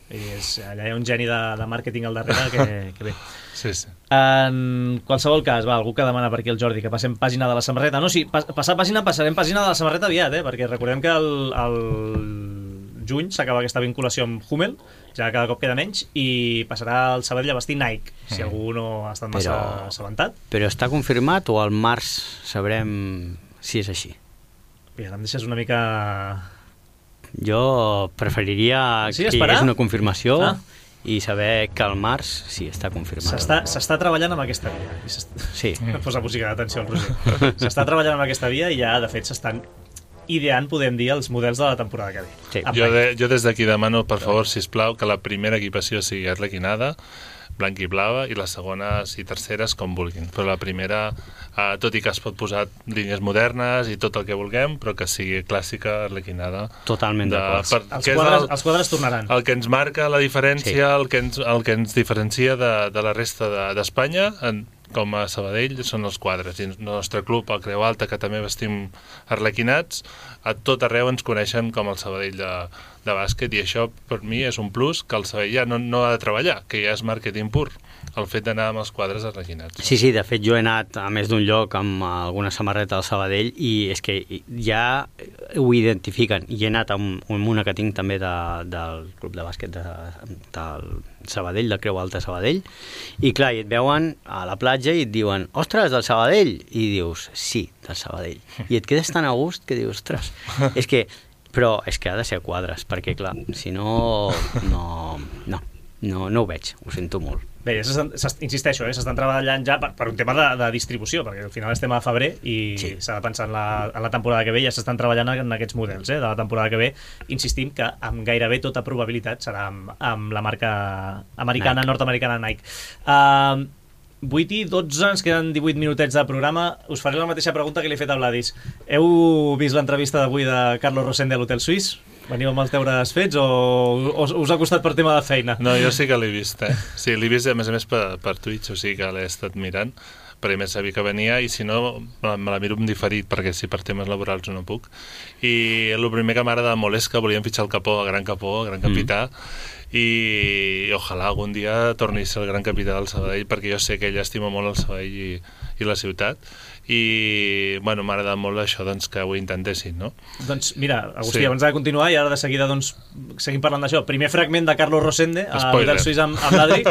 I allà hi ha un geni de màrqueting al darrere que bé. Sí. En qualsevol cas, algú que demana per aquí el Jordi que passem pàgina de la samarreta. No, sí, passarem pàgina de la samarreta aviat, perquè recordem que el juny s'acaba aquesta vinculació amb Hummel, ja cada cop queda menys, i passarà el Sabadell a vestir Nike, si algú no ha estat massa assabentat. Però està confirmat o al març sabrem si és així? Mira, em deixes una mica... Jo preferiria que hi hagués una confirmació i saber que al març sí està confirmat. S'està treballant amb aquesta via. Sí. Posa música d'atenció al Roger. S'està treballant amb aquesta via i ja, de fet, s'estan ideant, podem dir, els models de la temporada que ve. Sí. Jo des d'aquí demano, per favor, sisplau, que la primera equipació sigui arlequinada, blanc i blava, i les segones i terceres com vulguin. Però la primera, tot i que es pot posar línies modernes i tot el que vulguem, però que sigui clàssica, arlequinada. Totalment d'acord. Els quadres tornaran. El que ens marca la diferència, el que ens diferencia de la resta d'Espanya, com a Sabadell, són els quadres. I el nostre club, el Creu Alta, que també vestim arlequinats, a tot arreu ens coneixen com el Sabadell de bàsquet, i això per mi és un plus que el Sabadell ja no ha de treballar, que ja és màrqueting pur, el fet d'anar amb els quadres arlequinats. Sí, de fet jo he anat a més d'un lloc amb alguna samarreta del Sabadell i és que ja ho identifiquen, i he anat amb una que tinc també del club de bàsquet del Sabadell, del Creu Alta Sabadell, i clar, i et veuen a la platja i et diuen, ostres, del Sabadell, i dius, sí, del Sabadell, i et quedes tan a gust que dius, ostres, però és que ha de ser quadres, perquè clar, si no ho veig, ho sento molt. Bé, insisteixo, s'estan treballant ja per un tema de distribució, perquè al final estem a febrer i s'ha de pensar en la temporada que ve, ja s'estan treballant en aquests models de la temporada que ve. Insistim que amb gairebé tota probabilitat serà amb la marca americana, nord-americana Nike. 8 i 12, ens queden 18 minutets de programa. Us faré la mateixa pregunta que li he fet a Vladis. Heu vist l'entrevista d'avui de Carlos Rosende a l'Hotel Suís? Veniu amb els deures fets o us ha costat per tema de feina? No, jo sí que l'he vist, Sí, l'he vist, a més per Twitch, o sigui que l'he estat mirant, perquè més sabia que venia, i si no, me la miro en diferit, perquè si per temes laborals no puc. I el primer que m'agrada molt és que volíem fitxar el Capó, el gran capità, i ojalà algun dia torni a ser el gran capità del Sabadell, perquè jo sé que ell estima molt el Sabadell i la ciutat, i bueno, m'ha agradat molt això que ho intentessin, no? Doncs mira, Agustí, abans de continuar i ara de seguida seguim parlant d'això, primer fragment de Carlos Rosende a l'Hotel Suís amb l'Adri,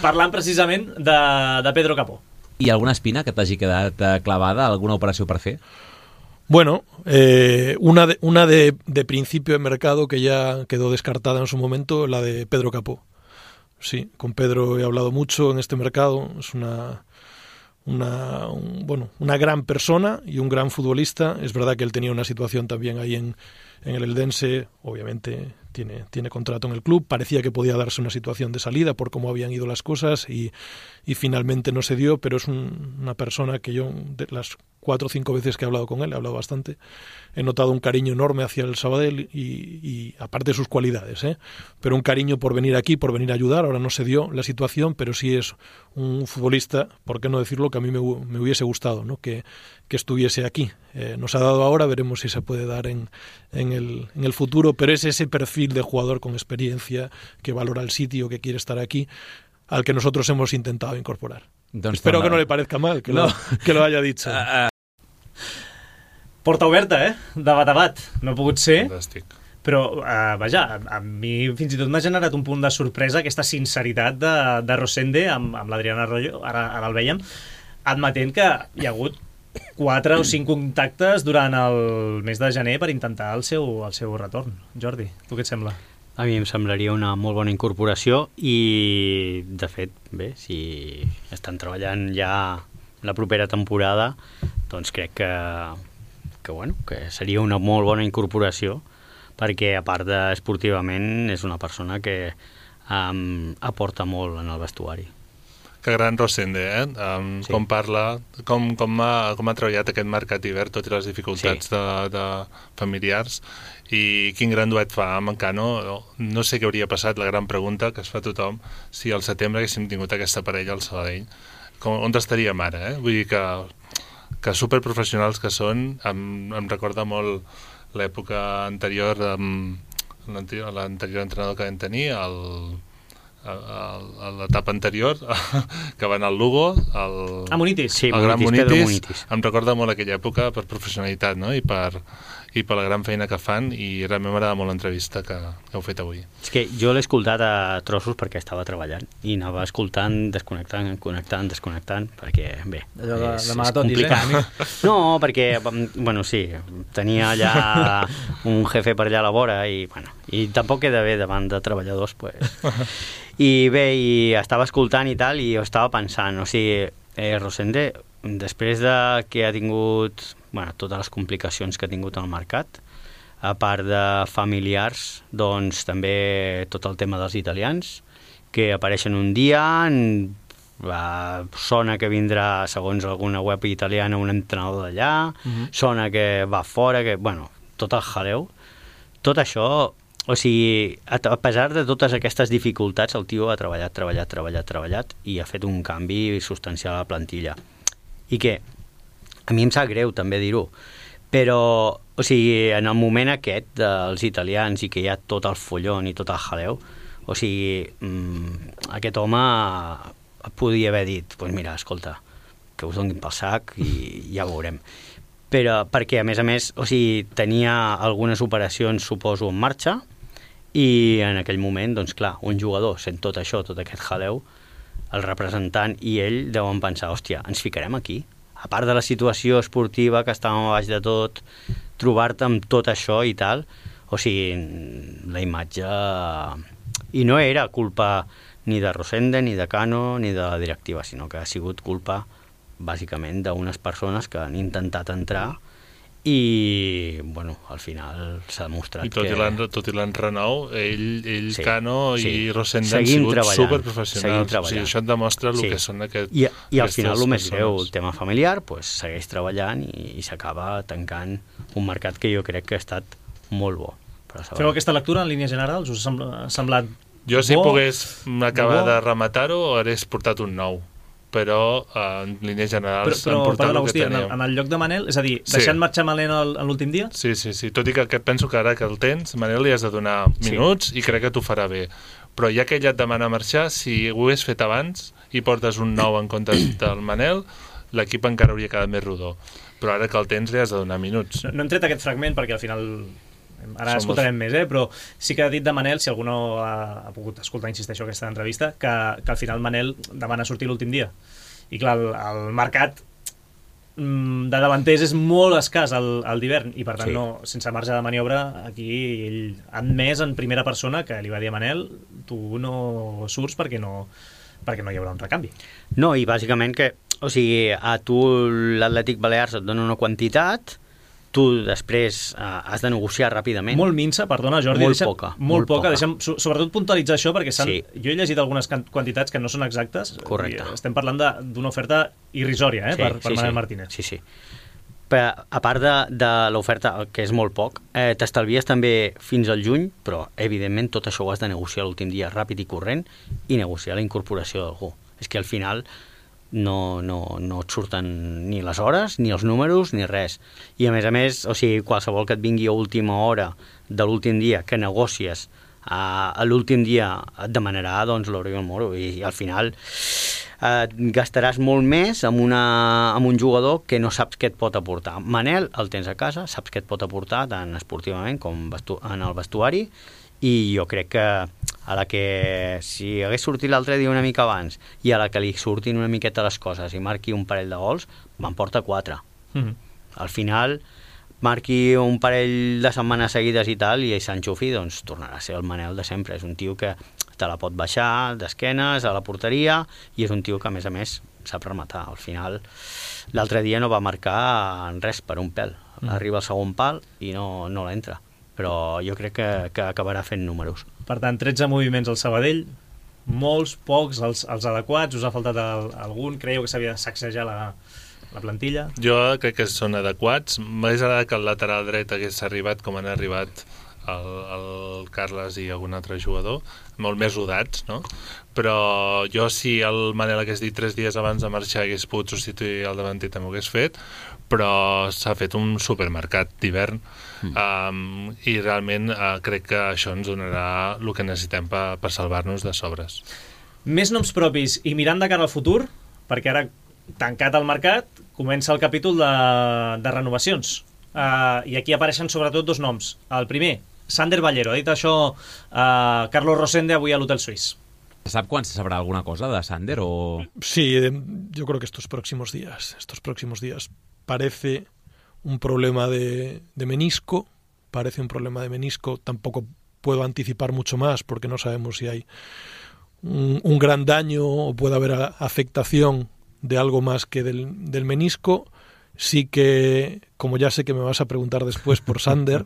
parlant precisament de Pedro Capó. Hi ha alguna espina que t'hagi quedat clavada, alguna operació per fer? Bueno, una de principio de mercado que ya quedó descartada en su momento, la de Pedro Capó. Sí, con Pedro he hablado mucho en este mercado, es una gran persona y un gran futbolista. Es verdad que él tenía una situación también ahí en el Eldense, obviamente tiene contrato en el club, parecía que podía darse una situación de salida por cómo habían ido las cosas y finalmente no se dio, pero es una persona que yo, de las 4 o 5 veces que he hablado con él, he hablado bastante, he notado un cariño enorme hacia el Sabadell y aparte de sus cualidades, pero un cariño por venir aquí, por venir a ayudar. Ahora no se dio la situación, pero sí es un futbolista, por qué no decirlo, que a mí me hubiese gustado, ¿no? que estuviese aquí. Nos ha dado ahora, veremos si se puede dar en el futuro, pero es ese perfil de jugador con experiencia, que valora el sitio, que quiere estar aquí, al que nosotros hemos intentado incorporar. Espero que no le parezca mal que lo haya dicho. Porta oberta, de bat a bat. No ha pogut ser. Fantàstic. Però, vaja, a mi fins i tot m'ha generat un punt de sorpresa aquesta sinceritat de Rosende amb l'Adrián Arroyo, ara el veiem, admetent que hi ha hagut 4 o 5 contactes durant el mes de gener per intentar el seu retorn. Jordi, tu què et sembla? A mi em semblaria una molt bona incorporació i, de fet, bé, si estan treballant ja la propera temporada, doncs crec que seria una molt bona incorporació, perquè a part esportivament és una persona que aporta molt en el vestuari. Que gran Rosende, sí. Com parla, com ha treballat aquest mercat hivern, tot i les dificultats de familiars, i quin gran duet fa amb en Cano. No sé què hauria passat, la gran pregunta que es fa tothom, si al setembre haguéssim tingut aquesta parella al Sabadell. On estaríem ara, Vull dir que superprofessionals que són, em recorda molt l'època anterior, l'anterior entrenador que vam tenir, a l'etapa anterior, que va anar al Lugo, Munitis. Sí, el gran Munitis. Em recorda molt aquella època per professionalitat, no? I per la gran feina que fan, i realment m'agrada molt l'entrevista que heu fet avui. És que jo l'he escoltat a trossos perquè estava treballant i anava escoltant, desconnectant, perquè, bé, és complicat. No, perquè, bueno, sí, tenia allà un jefe per allà a la vora i tampoc queda bé davant de treballadors, pues. I bé, i estava escoltant i tal, i jo estava pensant, o sigui, Rosende, després de que ha tingut totes les complicacions que ha tingut al mercat, a part de familiars, doncs també tot el tema dels italians, que apareixen un dia, sona que vindrà, segons alguna web italiana, un entrenador d'allà, sona que va fora, tot el jaleu. Tot això, o sigui, a pesar de totes aquestes dificultats, el tio ha treballat i ha fet un canvi substancial a la plantilla. I que a mi em sap greu també dir-ho, però, o sigui, en el moment aquest dels italians i que hi ha tot el follon i tot el jaleu, o sigui, aquest home podia haver dit, doncs mira, escolta, que us donin pel sac i ja ho veurem. Però perquè, a més, o sigui, tenia algunes operacions, suposo, en marxa, i en aquell moment, doncs clar, un jugador sent tot això, tot aquest jaleu, el representant i ell deuen pensar, hòstia, ens ficarem aquí? A part de la situació esportiva, que estàvem a baix de tot, trobar-te amb tot això i tal, o sigui, la imatge... I no era culpa ni de Rosende, ni de Cano, ni de la directiva, sinó que ha sigut culpa, bàsicament, d'unes persones que han intentat entrar i, bueno, al final s'ha demostrat que... I tot i l'enrenou, ell Sí, Cano sí. i Rosende han Seguim sigut treballant, superprofessionals. seguim O sigui, treballant. això et demostra el Sí. que són aquests... I al final el més greu, el tema familiar, pues, segueix treballant i s'acaba tancant un mercat que jo crec que ha estat molt bo. Feu aquesta lectura en línies generals? Us ha semblat Jo, si bo? pogués acabar bo? de rematar-ho, hagués portat un nou. Però en línies generals han portat perdona, el que Agustí, teníem. en el lloc de Manel, és a dir, Sí. deixant marxar Manel en l'últim dia? Sí. Tot i que penso que ara que el tens, Manel, li has de donar minuts i crec que t'ho farà bé. Però ja que ella et demana marxar, si ho hagués fet abans i portes un nou en comptes del Manel, l'equip encara hauria quedat més rodó. Però ara que el tens li has de donar minuts. No hem tret aquest fragment perquè al final... Ara Som escoltarem més, però sí que ha dit de Manel, si algú no ha pogut escoltar, insisteixo, aquesta entrevista, que al final Manel demana sortir l'últim dia. I clar, el mercat de davanters és molt escàs al d'hivern i per tant, no, sense marge de maniobra, aquí ell ha admès en primera persona que li va dir a Manel, tu no surts perquè no hi haurà un recanvi. No, i bàsicament que, o sigui, a tu l'Atlètic Balears et dona una quantitat, tu després has de negociar ràpidament. Molt minsa, perdona, Jordi. Molt poca. Molt poca. Deixa'm sobretot puntualitzar això, perquè jo he llegit algunes quantitats que no són exactes. Correcte. Estem parlant d'una oferta irrisòria per Manel Martínez. Sí. Però, a part de l'oferta, que és molt poc, t'estalvies també fins al juny, però, evidentment, tot això ho has de negociar l'últim dia ràpid i corrent i negociar la incorporació d'algú. És que al final no et surten ni les hores, ni els números, ni res. I a més, o sigui, qualsevol que et vingui a última hora de l'últim dia que negocies a l'últim dia et demanarà doncs l'oro i el moro i al final gastaràs molt més amb un jugador que no saps què et pot aportar. Manel el tens a casa, saps què et pot aportar tant esportivament com en el vestuari i jo crec que a la que si hagués sortit l'altre dia una mica abans i a la que li surtin una miqueta les coses i marqui un parell de gols, me'n porta 4. Al final marqui un parell de setmanes seguides i tal i s'enxufi, doncs tornarà a ser el Manel de sempre. És un tio que te la pot baixar d'esquenes a la porteria i és un tio que a més sap rematar. Al final l'altre dia no va marcar res per un pèl. Arriba al segon pal i no l'entra. Però jo crec que acabarà fent números. Per tant, 13 moviments al Sabadell, molts, pocs, els adequats, us ha faltat algun? Creieu que s'havia de sacsejar la plantilla? Jo crec que són adequats. M'hagués agradat que el lateral dret hagués arribat com han arribat el Carles i algun altre jugador, molt més rodats, no? Però jo, si el Manel hagués dit 3 dies abans de marxar hagués pogut substituir el davanter, també ho hagués fet, però s'ha fet un supermercat d'hivern i realment crec que això ens donarà el que necessitem per salvar-nos de sobres. Més noms propis i mirant de cara al futur, perquè ara tancat el mercat comença el capítol de renovacions i aquí apareixen sobretot 2 noms. El primer, Sander Ballero, ha dit això Carlos Rosende avui a l'Hotel Suís. ¿Se sabe cuándo se sabrá alguna cosa de Sander o...? Sí, yo creo que estos próximos días parece un problema de menisco, tampoco puedo anticipar mucho más porque no sabemos si hay un gran daño o puede haber afectación de algo más que del menisco. Sí que, como ya sé que me vas a preguntar después por Sander,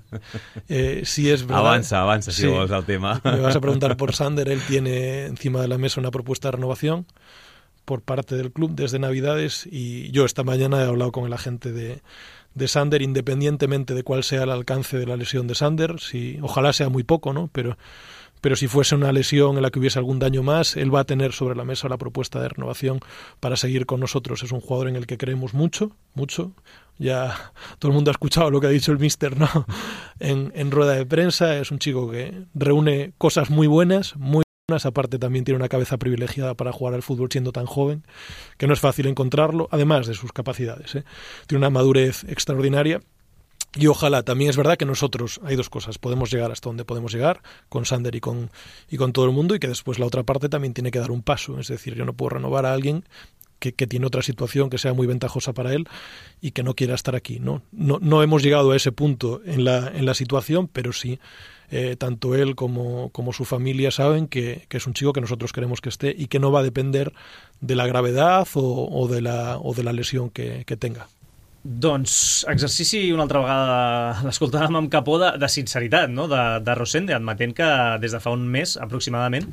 si es verdad... Avanza, si vols el tema. Me vas a preguntar por Sander, él tiene encima de la mesa una propuesta de renovación por parte del club desde Navidades y yo esta mañana he hablado con el agente de Sander, independientemente de cuál sea el alcance de la lesión de Sander, ojalá sea muy poco, ¿no? Pero si fuese una lesión en la que hubiese algún daño más, él va a tener sobre la mesa la propuesta de renovación para seguir con nosotros. Es un jugador en el que creemos mucho. Ya todo el mundo ha escuchado lo que ha dicho el míster, ¿no? en rueda de prensa. Es un chico que reúne cosas muy buenas. Aparte también tiene una cabeza privilegiada para jugar al fútbol siendo tan joven, que no es fácil encontrarlo, además de sus capacidades, ¿eh? Tiene una madurez extraordinaria. Y ojalá, también es verdad que nosotros, hay 2 cosas, podemos llegar hasta donde podemos llegar, con Sander y con todo el mundo, y que después la otra parte también tiene que dar un paso, es decir, yo no puedo renovar a alguien tiene otra situación que sea muy ventajosa para él y que no quiera estar aquí, ¿no? No hemos llegado a ese punto en la situación, pero sí, tanto él como su familia saben que es un chico que nosotros queremos que esté y que no va a depender de la gravedad o de la lesión que tenga. Doncs exercici una altra vegada, l'escoltàvem amb capó de sinceritat, no? de Rosende, admetent que des de fa un mes aproximadament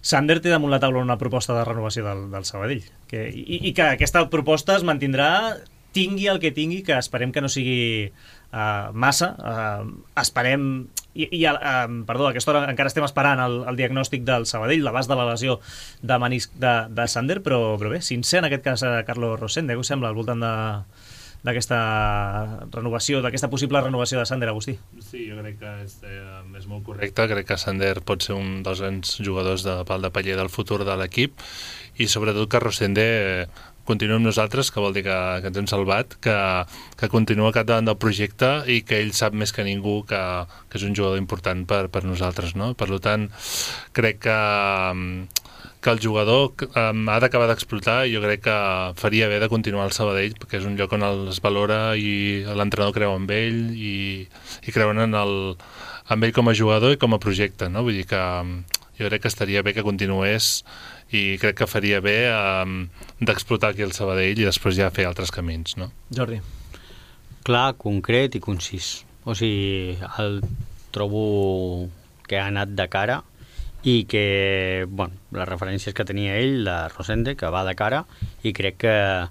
Sander té damunt la taula una proposta de renovació del Sabadell i que aquesta proposta es mantindrà, tingui el que tingui, que esperem que no sigui massa, esperem perdó, a aquesta hora encara estem esperant el diagnòstic del Sabadell, l'abast de la lesió de menisc de Sander, però bé, sincer en aquest cas Carlos Rosende, què us sembla al voltant d'aquesta renovació, d'aquesta possible renovació de Sander, Agustí? Sí, jo crec que és molt correcte. Crec que Sander pot ser un dels grans jugadors de pal de paller del futur de l'equip i sobretot que Rosende continua amb nosaltres, que vol dir que ens hem salvat, que continua al capdavant del projecte i que ell sap més que ningú que és un jugador important per nosaltres, no? Per tant, crec que el jugador ha d'acabar d'explotar i jo crec que faria bé de continuar al Sabadell perquè és un lloc on es valora i l'entrenador creu en ell i creuen en ell com a jugador i com a projecte, no? Vull dir que jo crec que estaria bé que continués i crec que faria bé d'explotar aquí el Sabadell i després ja fer altres camins, no? Jordi. Clar, concret i concís. O sigui, el trobo que ha anat de cara i que, bueno, les referències que tenia ell, de Rosende, que va de cara, i crec que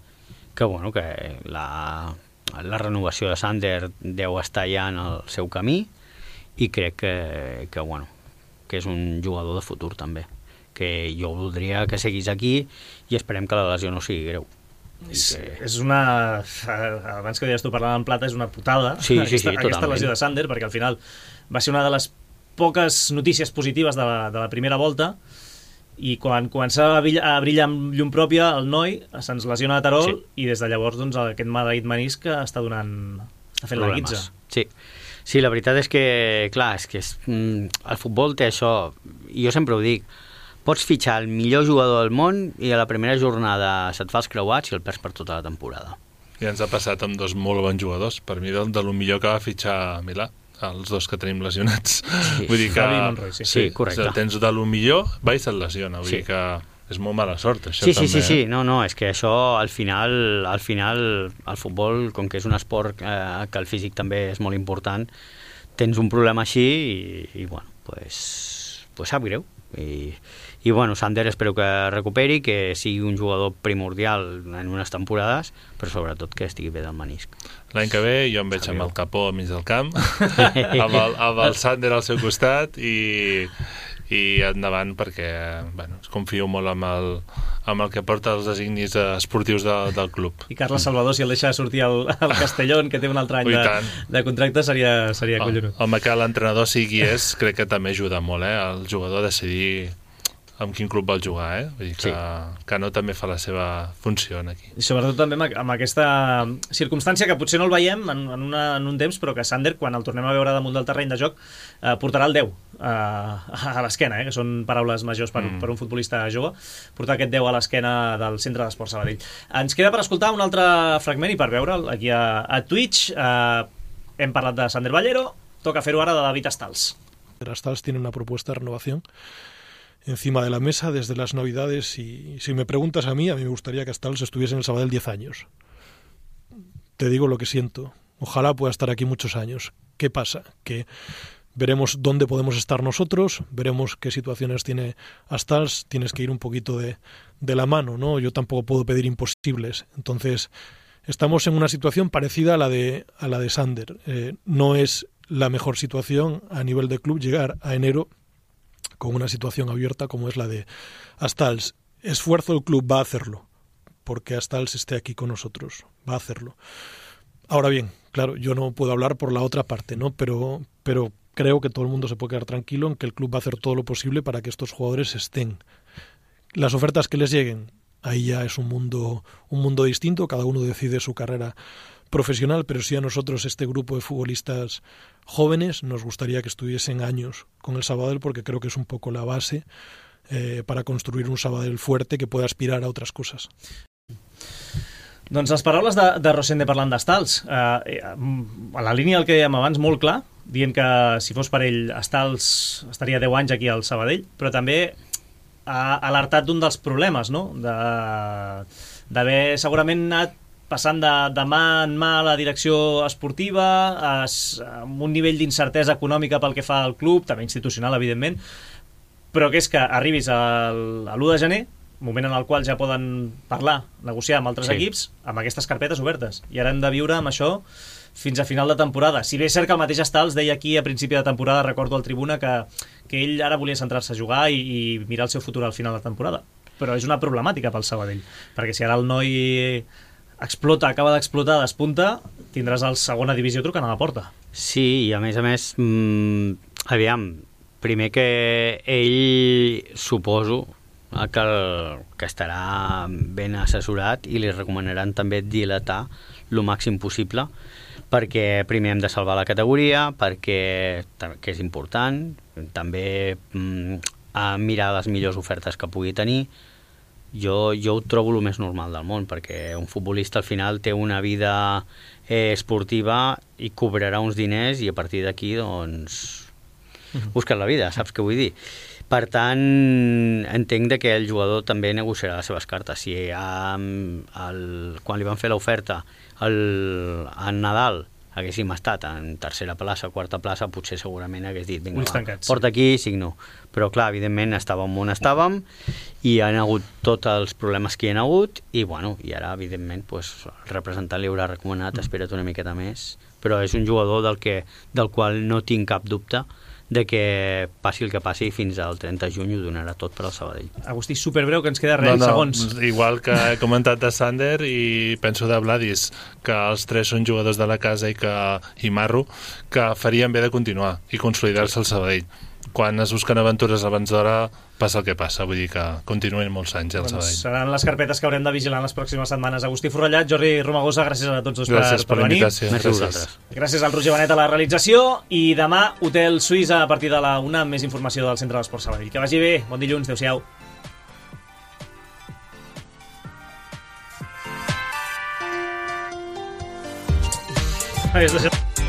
la renovació de Sander deu estar ja en el seu camí i crec que és un jugador de futur també, que jo voldria que seguís aquí i esperem que la lesió no sigui greu. És una... Abans que deies tu parlant en plata, és una putada aquesta lesió de Sander, perquè al final va ser una de les poques notícies positives de la primera volta i quan començava a brillar amb llum pròpia el noi se'ns lesiona a Terol i des de llavors doncs, aquest maleït menisc està fent la guitza. Sí, la veritat és que, clar, el futbol té això, i jo sempre ho dic, pots fitxar el millor jugador del món i a la primera jornada se't fa els creuats i el perds per tota la temporada. I ens ha passat amb dos molt bons jugadors, per mi de lo millor que va fitxar Milà, els dos que tenim lesionats. Sí. Vull dir que... Monroy, sí, correcte. Si tens de lo millor, va i se't lesiona. Vull dir que és molt mala sort, això també. Sí. No, és que això, al final, el futbol, com que és un esport que el físic també és molt important, tens un problema així i bueno, pues sap greu. I bueno, Sander espero que recuperi, que sigui un jugador primordial en unes temporades, però sobretot que estigui bé del menisc. L'any que ve jo em veig amb el Capó al mig del camp, amb el Sander al seu costat i endavant perquè confio molt amb el que porta els designis esportius del club. I Carles Salvador, si el deixa sortir al Castellón, que té un altre any de contracte, seria collonut. Home, que l'entrenador sigui crec que també ajuda molt, el jugador a decidir amb quin club vol jugar, Vull dir que no també fa la seva funció aquí. I sobretot també amb aquesta circumstància que potser no el veiem en un temps, però que Sander, quan el tornem a veure damunt del terreny de joc, portarà el 10 a l'esquena, que són paraules majors per un futbolista jove, portar aquest 10 a l'esquena del Centre d'Esports Sabadell. Ens queda per escoltar un altre fragment i per veure'l aquí a Twitch. Hem parlat de Sander Ballero, toca fer-ho ara de David Astals. Astals tiene una propuesta de renovación encima de la mesa desde las Navidades y si me preguntas a mí me gustaría que Astals estuviese en el Sabadell 10 años. Te digo lo que siento. Ojalá pueda estar aquí muchos años. ¿Qué pasa? Que veremos dónde podemos estar nosotros, veremos qué situaciones tiene Astals, tienes que ir un poquito de la mano, ¿no? Yo tampoco puedo pedir imposibles. Entonces, estamos en una situación parecida a la de Sander. No es la mejor situación a nivel de club llegar a enero con una situación abierta como es la de Astals. Esfuerzo el club va a hacerlo, porque Astals esté aquí con nosotros, va a hacerlo. Ahora bien, claro, yo no puedo hablar por la otra parte, ¿no? Pero creo que todo el mundo se puede quedar tranquilo en que el club va a hacer todo lo posible para que estos jugadores estén. Las ofertas que les lleguen, ahí ya es un mundo distinto, cada uno decide su carrera profesional, pero sí a nosotros, este grupo de futbolistas jóvenes, nos gustaría que estuviesen años con el Sabadell, porque creo que es un poco la base para construir un Sabadell fuerte que pueda aspirar a otras cosas. Doncs les paraules de Rosende parlant d'Estals. A la línia del que dèiem abans, molt clar, dient que si fos per ell Estals estaria 10 anys aquí al Sabadell, però també ha alertat d'un dels problemes, no? D'haver segurament anat passant de mà en mà a la direcció esportiva, amb un nivell d'incertesa econòmica pel que fa al club, també institucional, evidentment, però que és que arribis a l'1 de gener, moment en el qual ja poden parlar, negociar amb altres equips, amb aquestes carpetes obertes. I ara hem de viure amb això fins a final de temporada. Si bé és cert que el mateix Estals deia aquí a principi de temporada, recordo al Tribuna, que ell ara volia centrar-se a jugar i mirar el seu futur al final de temporada. Però és una problemàtica pel Sabadell, perquè si ara el noi explota, acaba d'explotar, despunta, tindràs el segona divisió trucant a la porta. Sí, i a més, aviam, primer que ell, suposo, que estarà ben assessorat i li recomanaran també dilatar el màxim possible, perquè primer hem de salvar la categoria, perquè que és important, també mirar les millors ofertes que pugui tenir. Jo ho trobo el més normal del món, perquè un futbolista al final té una vida esportiva i cobrarà uns diners i a partir d'aquí doncs busques la vida, saps què vull dir? Per tant, entenc que el jugador també negociarà les seves cartes. Si quan li van fer l'oferta en Nadal haguéssim estat en tercera plaça, quarta plaça, potser segurament hagués dit, vinga, porta aquí, signo. Però clar, evidentment estàvem on estàvem i hi ha hagut tots els problemes que hi ha hagut i ara, evidentment, el representant li haurà recomanat, espera't una miqueta més. Però és un jugador del qual no tinc cap dubte de que passi el que passi fins al 30 de juny ho donarà tot per al Sabadell. Agustí, superbreu, que ens queda segons. Igual que he comentat de Sander i penso de Vladis, que els tres són jugadors de la casa i Marro, que farien bé de continuar i consolidar-se al Sabadell. Quan es busquen aventures abans d'hora passa el que passa, vull dir que continuen molts anys al Sabadell. Seran les carpetes que haurem de vigilar en les pròximes setmanes. Agustí Forrellat, Jordi Romagosa, gràcies a tots dos per venir. Gràcies al Roger Benet a la realització i demà Hotel Suïssa a partir de la 1 amb més informació del Centre d'Esports Sabadell. Que vagi bé, bon dilluns, adeu-siau. Adiós.